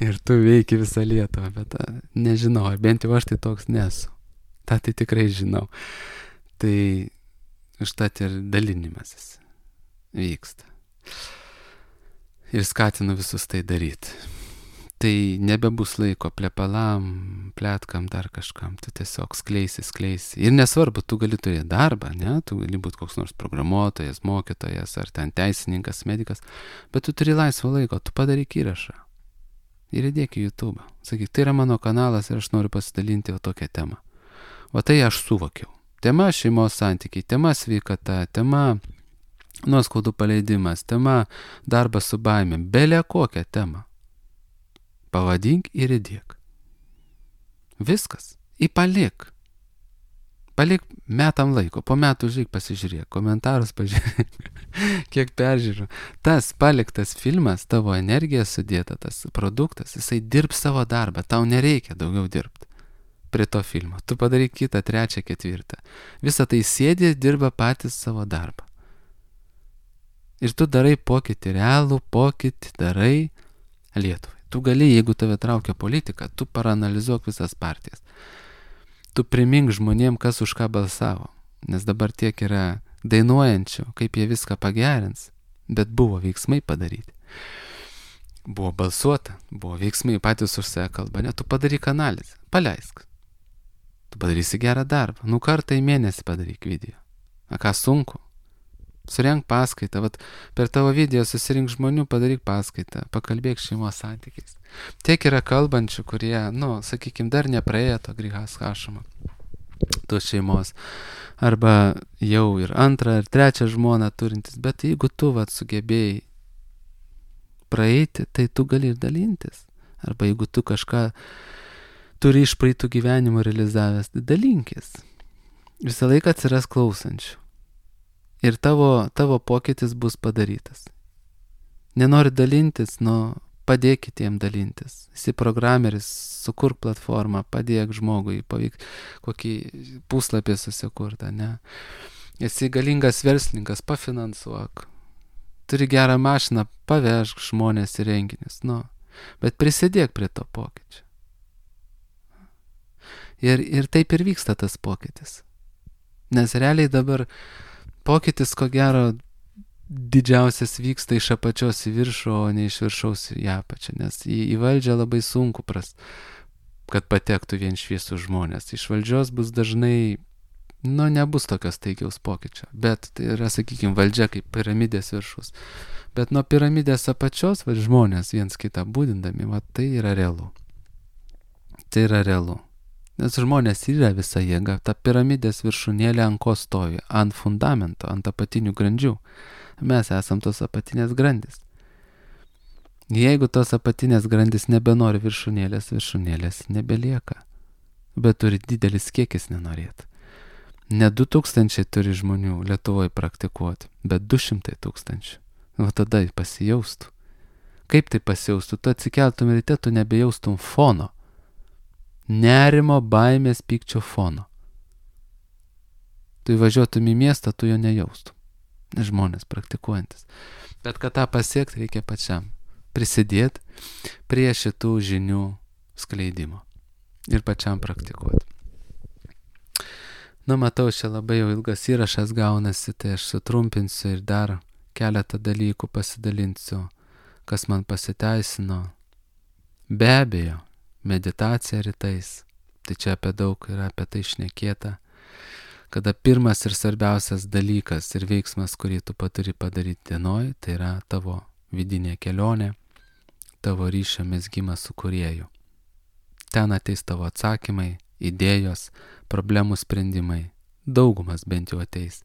Speaker 1: ir tu veiki visą Lietuvą, bet nežinau, bent jau aš tai toks nesu. Tai tikrai žinau. Tai užtat ir dalinimasis vyksta. Ir skatinu visus tai daryti. Tai nebebus laiko plepalam, pletkam, dar kažkam. Tu tiesiog skleisi. Ir nesvarbu, tu gali turėti darbą, ne? Tu gali būti koks nors programuotojas, mokytojas, ar ten teisininkas, medikas, bet tu turi laisvo laiko, tu padaryk įrašą. Ir įdėk į YouTube. Sakyk, tai yra mano kanalas ir aš noriu pasidalinti tokią temą. O tai aš suvokiau. Tema šeimos santykiai, tema sveikata, tema nuoskaudų paleidimas, tema darbas su baimėm, belė kokią temą. Pavadink ir įdėk. Viskas. Palik. Palik metam laiko. Po metų žiūrėk, pasižiūrėk. Komentarus pažiūrėk. Kiek peržiūrų. Tas paliktas filmas, tavo energija sudėta, tas produktas, jisai dirbs savo darbą. Tau nereikia daugiau dirbti prie to filmo. Tu padaryk kitą, 3, 4. Visą tai sėdi ir dirba patys savo darbą. Ir tu darai pokytį, realų pokytį darai Lietuvai. Tu gali, jeigu tave traukia politika, tu paranalizuok visas partijas. Tu primink žmonėm, kas už ką balsavo. Nes dabar tiek yra dainuojančių, kaip jie viską pagerins. Bet buvo veiksmai padaryti. Buvo balsuota, buvo veiksmai patys už save kalba. Ne, tu padaryk analizę, paleisk. Tu padarysi gerą darbą. Kartą į mėnesį padaryk video. Ką sunku? Surenk paskaitą, per tavo video susirink žmonių, padaryk paskaitą, pakalbėk šeimos santykiais. Tiek yra kalbančių, kurie, sakykime, dar nepraėjo to grihas hašamo, tos šeimos, arba jau ir 2 ar 3 žmoną turintis, bet jeigu tu sugebėjai praeiti, tai tu gali ir dalintis. Arba jeigu tu kažką turi iš praeitų gyvenimo realizavęs, tai dalinkis. Visą laiką atsiras klausančių. ir tavo pokytis bus padarytas. Nenori dalintis, padėk kitiem dalintis. Esi programeris, sukurk platformą, padėk žmogui, pavyk kokį puslapį susikurtą, ne? Esi galingas verslininkas, pafinansuok. Turi gerą mašiną, pavežk žmonės į renginius, bet prisidėk prie to pokyčio. Ir taip ir vyksta tas pokytis. Nes realiai dabar pokytis, ko gero, didžiausias vyksta iš apačios į viršų, o ne iš viršaus į apačią, nes į valdžią labai sunku kad patektų vien šviesų žmonės. Iš valdžios bus dažnai, nebus tokios taikiaus pokyčio, bet tai yra, sakykime, valdžia kaip piramidės viršus. Bet nuo piramidės apačios, žmonės viens kitą būdindami, tai yra realu. Tai yra realu. Nes žmonės yra visa jėga, ta piramidės viršūnėlė ant ko stovi, ant fundamento, ant apatinių grandžių. Mes esam tos apatinės grandys. Jeigu tos apatinės grandys nebenori viršūnėlės nebelieka. Bet turi didelis kiekis nenorėti. Ne 2000 turi žmonių Lietuvoje praktikuoti, bet 200 000. Tada pasijaustų. Kaip tai pasijaustų? Tu atsikeltum ryte, tu nebejaustum fono. Nerimo, baimės, pykčio fono. Tu įvažiuotum į miestą, tu jo nejaustum. Žmonės praktikuojantis. Bet kad tą pasiekti, reikia pačiam prisidėti prie šitų žinių skleidimo ir pačiam praktikuoti. Matau, čia labai jau ilgas įrašas gaunasi, tai aš sutrumpinsiu ir dar keletą dalykų pasidalinsiu, kas man pasiteisino. Be abejo, meditacija rytais, tai čia apie daug yra apie tai šnekėta, kada pirmas ir svarbiausias dalykas ir veiksmas, kurį tu turi padaryti dienoj, tai yra tavo vidinė kelionė, tavo ryšio mezgimas su Kūrėju. Ten ateis tavo atsakymai, idėjos, problemų sprendimai, daugumas bent jau ateis.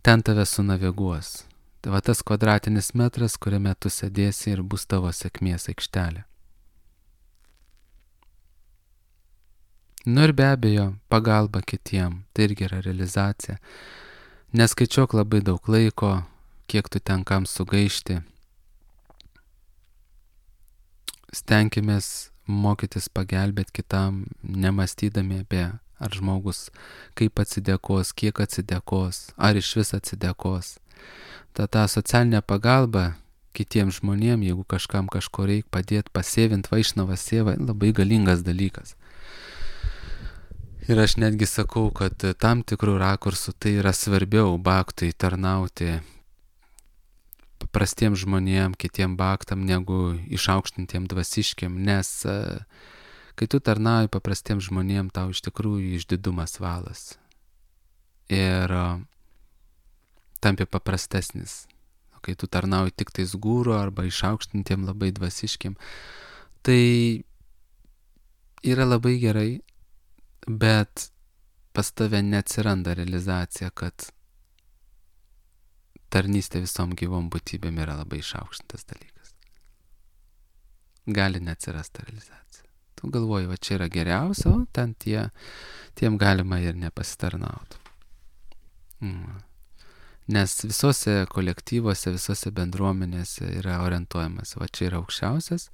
Speaker 1: Ten tave sunaviguos. Tai tas kvadratinis metras, kuriame tu sėdėsi ir bus tavo sėkmės aikštelė. Ir be abejo, pagalba kitiem, tai irgi yra realizacija. Neskaičiuok labai daug laiko, kiek tu ten kam sugaišti. Stenkimės mokytis pagelbėti kitam, nemastydami apie ar žmogus kaip atsidėkos, kiek atsidėkos, ar iš vis atsidėkos. Ta socialinė pagalba kitiems žmonėms, jeigu kažkam kažko reikia padėti, pasėvint vaišnavą sėvą, labai galingas dalykas. Ir aš netgi sakau, kad tam tikrų rakursų tai yra svarbiau baktui tarnauti paprastiem žmonėm, kitiem baktam, negu išaukštintiem dvasiškiam, nes kai tu tarnauji paprastiem žmonėm, tau iš tikrųjų išdidumas valas. Ir tampi paprastesnis. O kai tu tarnauji tik tais gūro arba išaukštintiem labai dvasiškiam, tai yra labai gerai, bet pas tave neatsiranda realizacija, kad tarnystė visom gyvom būtybėm yra labai išaukštintas dalykas. Gali neatsirasti realizacija. Tu galvoji, čia yra geriausia, o ten tiem galima ir nepasitarnauti. Nes visose kolektyvuose, visose bendruomenėse yra orientuojamas, čia yra aukščiausias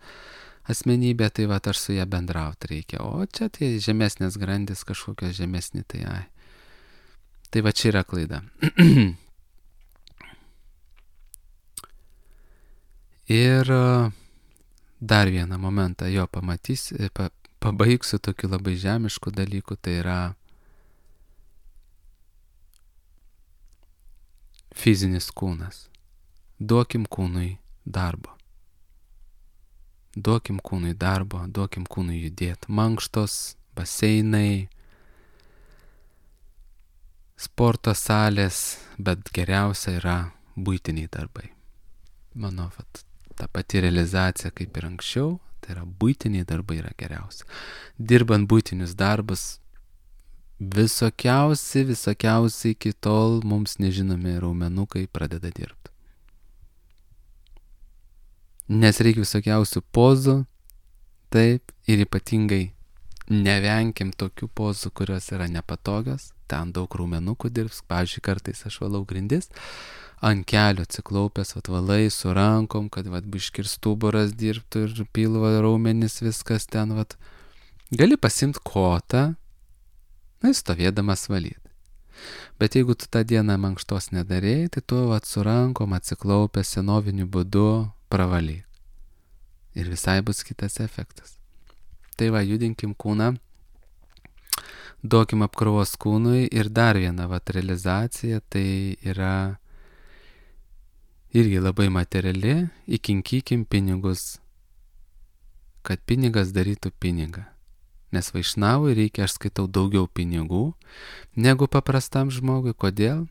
Speaker 1: asmenybė, tai aš su ją bendrauti reikia, o čia tai žemesnės grandis, kažkokios žemesni, tai čia yra klaida. Ir dar vieną momentą pabaigsiu tokiu labai žemišku dalyku, tai yra fizinis kūnas. Duokim kūnui darbo. Duokim kūnui darbo, duokim kūnui judėti. Mankštos, baseinai, sporto salės, bet geriausia yra buitiniai darbai. Manau, ta pati realizacija kaip ir anksčiau, tai yra buitiniai darbai yra geriausia. Dirbant buitinius darbus, visokiausi iki tol mums nežinomi raumenukai pradeda dirbti. Nes reikia visokiausių pozų, taip, ir ypatingai nevenkim tokių pozų, kurios yra nepatogios, ten daug raumenukų dirbs, pavyzdžiui, kartais aš valau grindis, ant kelio atsiklaupęs, valai su rankom, kad biškir stuburas dirbtų ir pilvo raumenis, viskas ten, gali pasimti kotą, stovėdamas valyti. Bet jeigu tu tą dieną mankštos nedarėjai, tai tu su rankom atsiklaupęs senoviniu būdu pravalyk. Ir visai bus kitas efektas. Tai judinkim kūną, duokim apkrovos kūnui ir dar viena realizacija, tai yra irgi labai materiali, įkinkykim pinigus, kad pinigas darytų pinigą. Nes vaišnavui reikia, aš skaitau, daugiau pinigų negu paprastam žmogui. Kodėl?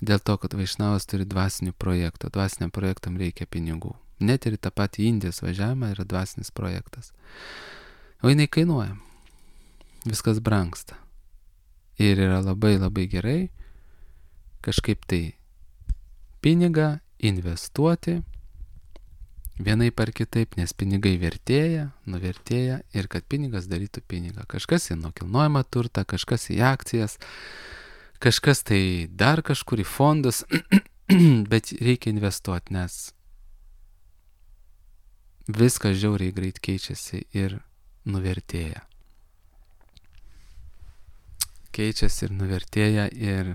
Speaker 1: Dėl to, kad vaišnavas turi dvasinių projektų. Dvasiniam projektam reikia pinigų. Net ir tą patį Indijos važiavimą yra dvasinis projektas. O jinai kainuoja. Viskas brangsta. Ir yra labai labai gerai kažkaip tai pinigą investuoti vienaip ar kitaip, nes pinigai vertėja, nuvertėja ir kad pinigas darytų pinigą. Kažkas į nekilnojamą turtą, kažkas į akcijas, kažkas tai dar kažkur į fondus, bet reikia investuoti, nes viskas žiauriai greit keičiasi ir nuvertėja. Keičiasi ir nuvertėja ir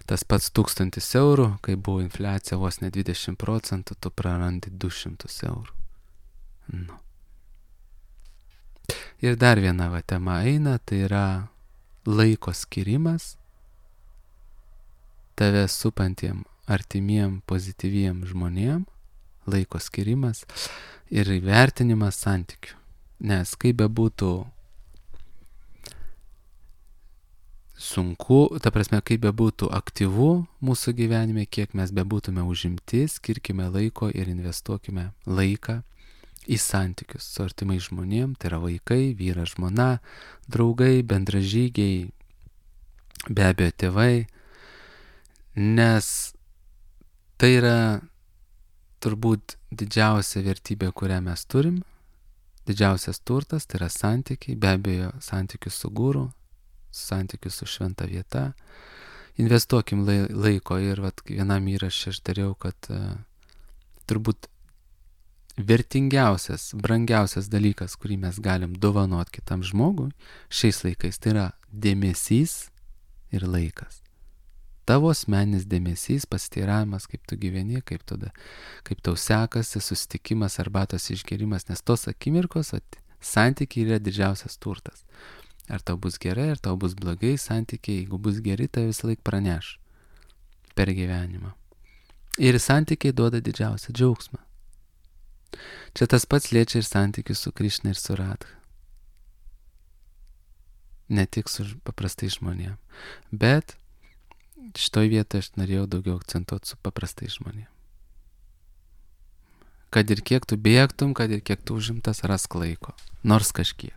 Speaker 1: tas pats 1000 eurų, kai buvo infliacija vos ne 20%, tu prarandi 200 eurų. Ir dar viena tema eina, tai yra laiko skirimas tave supantiem, artimiem, pozityviem žmonėm, laiko skirimas ir įvertinimas santykių. Nes kaip bebūtų sunku, ta prasme, kaip bebūtų aktyvu mūsų gyvenime, kiek mes bebūtume užimti, skirkime laiko ir investuokime laiką į santykius su artimai žmonėm, tai yra vaikai, vyras, žmona, draugai, bendražygiai, be abejo tėvai, nes tai yra turbūt didžiausia vertybė, kurią mes turim, didžiausias turtas, tai yra santykiai, be abejo santykius su guru, santykius su šventa vieta. Investuokim laiko ir vienam įrašė aš dariau, kad turbūt vertingiausias, brangiausias dalykas, kurį mes galim dovanot kitam žmogui šiais laikais, tai yra dėmesys ir laikas. Tavo asmeninis dėmesys, pasiteiravimas, kaip tu gyveni, kaip tau sekasi, susitikimas, arbatos išgerimas, nes tos akimirkos, santykiai yra didžiausias turtas. Ar tau bus gerai, ar tau bus blogai santykiai, jeigu bus geri, tai visą laiką praneš per gyvenimą. Ir santykiai duoda didžiausią džiaugsmą. Čia tas pats liečia ir santykius su Krišna ir su Radha. Ne tik su paprastai žmonėm. Bet šitoj vietoje aš norėjau daugiau akcentuoti su paprastai žmonėm. Kad ir kiek tu bėgtum, kad ir kiek tu užimtas, rask laiko. Nors kažkiek.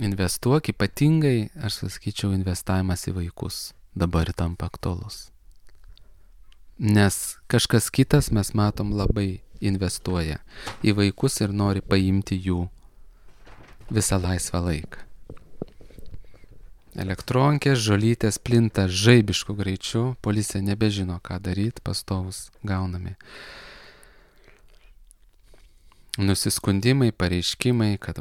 Speaker 1: Investuok, ypatingai, aš sakyčiau, investavimas į vaikus dabar tampa aktualus. Nes kažkas kitas, mes matom, labai investuoja į vaikus ir nori paimti jų visą laisvą laiką. Elektronkės, žolytės plinta žaibišku greičiu, policija nebežino, ką daryti, pastovus gaunami nusiskundimai, pareiškimai, kad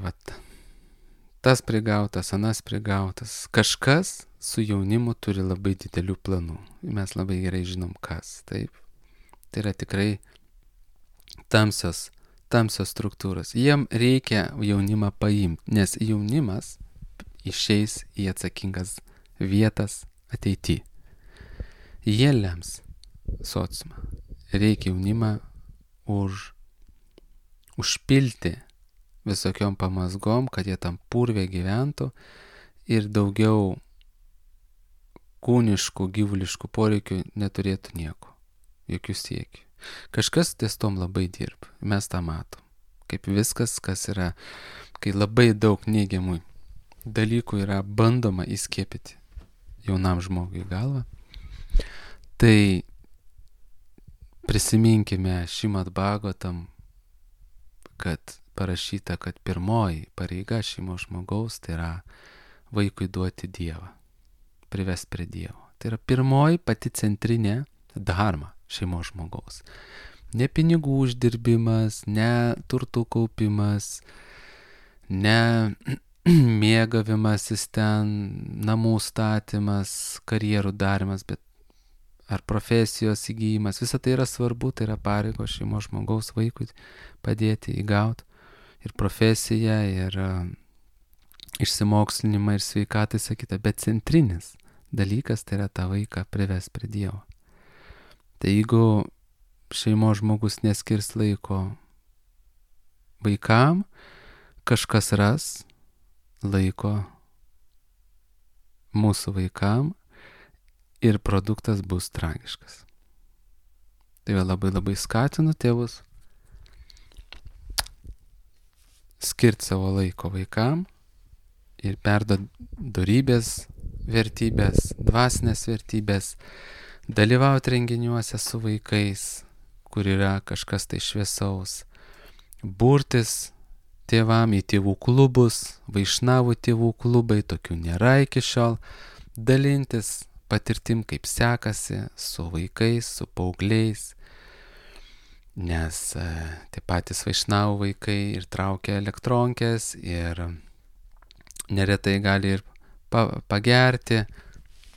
Speaker 1: tas prigautas, anas prigautas. Kažkas su jaunimu turi labai didelių planų. Mes labai gerai žinom, kas. Taip. Tai yra tikrai tamsios struktūros. Jiem reikia jaunimą paimti, nes jaunimas išeis į atsakingas vietas ateity. Jie lems sociumą. Reikia jaunimą užpilti visokiom pamazgom, kad jie tam purvė gyventų ir daugiau kūniškų, gyvuliškų poreikių neturėtų nieko, jokių siekių. Kažkas ties tom labai dirba, mes tą matom. Kaip viskas, kas yra, kai labai daug neigiamų dalykų yra bandoma įskiepyti jaunam žmogui į galvą, tai prisiminkime Šrimad Bhagavatam, kad parašyta, kad pirmoji pareiga šeimos žmogaus tai yra vaikui duoti Dievą, privesti prie Dievo. Tai yra pirmoji pati centrinė dharma šeimos žmogaus. Ne pinigų uždirbimas, ne turtų kaupimas, ne mėgavimasis ten, namų statymas, karjerų darimas, bet ar profesijos įgyjimas. Visa tai yra svarbu, tai yra pareigos šeimos žmogaus vaikui padėti įgauti ir profesiją, ir išsimokslinimą, ir sveikatą, sakytą. Bet centrinis dalykas tai yra tą vaiką privesti prie Dievo. Tai jeigu šeimos žmogus neskirs laiko vaikam, kažkas ras laiko mūsų vaikam ir produktas bus tragiškas. Tai labai skatinu tėvus skirti savo laiko vaikam ir perduoti dorybės vertybės, dvasinės vertybės, dalyvauti renginiuose su vaikais, kur yra kažkas tai šviesaus, burtis tėvam į tėvų klubus, vaišnavų tėvų klubai, tokių nėra iki šiol, dalintis patirtim, kaip sekasi su vaikais, su paaugliais, nes tie patys vaišnavų vaikai ir traukia elektronkės ir neretai gali ir pagerti,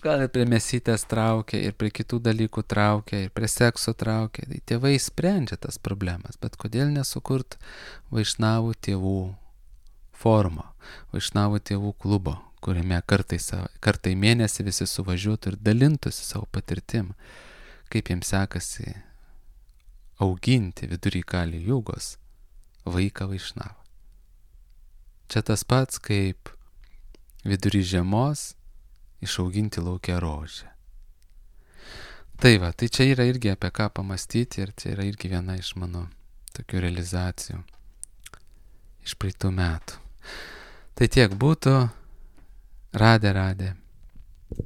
Speaker 1: gal ir prie mėsytės traukia, ir prie kitų dalykų traukia, ir prie sekso traukia. Tai tėvai sprendžia tas problemas, bet kodėl nesukurt vaišnavų tėvų forumo, vaišnavų tėvų klubo, kuriame kartą į mėnesį visi suvažiuotų ir dalintųsi savo patirtim, kaip jiems sekasi auginti vidury Kali Jugos vaiką vaišnavą. Čia tas pats, kaip vidury žiemos išauginti lauke rožę. Tai čia yra irgi apie ką pamastyti ir čia yra irgi viena iš mano tokių realizacijų iš praeitų metų. Tai tiek būtų. Radė.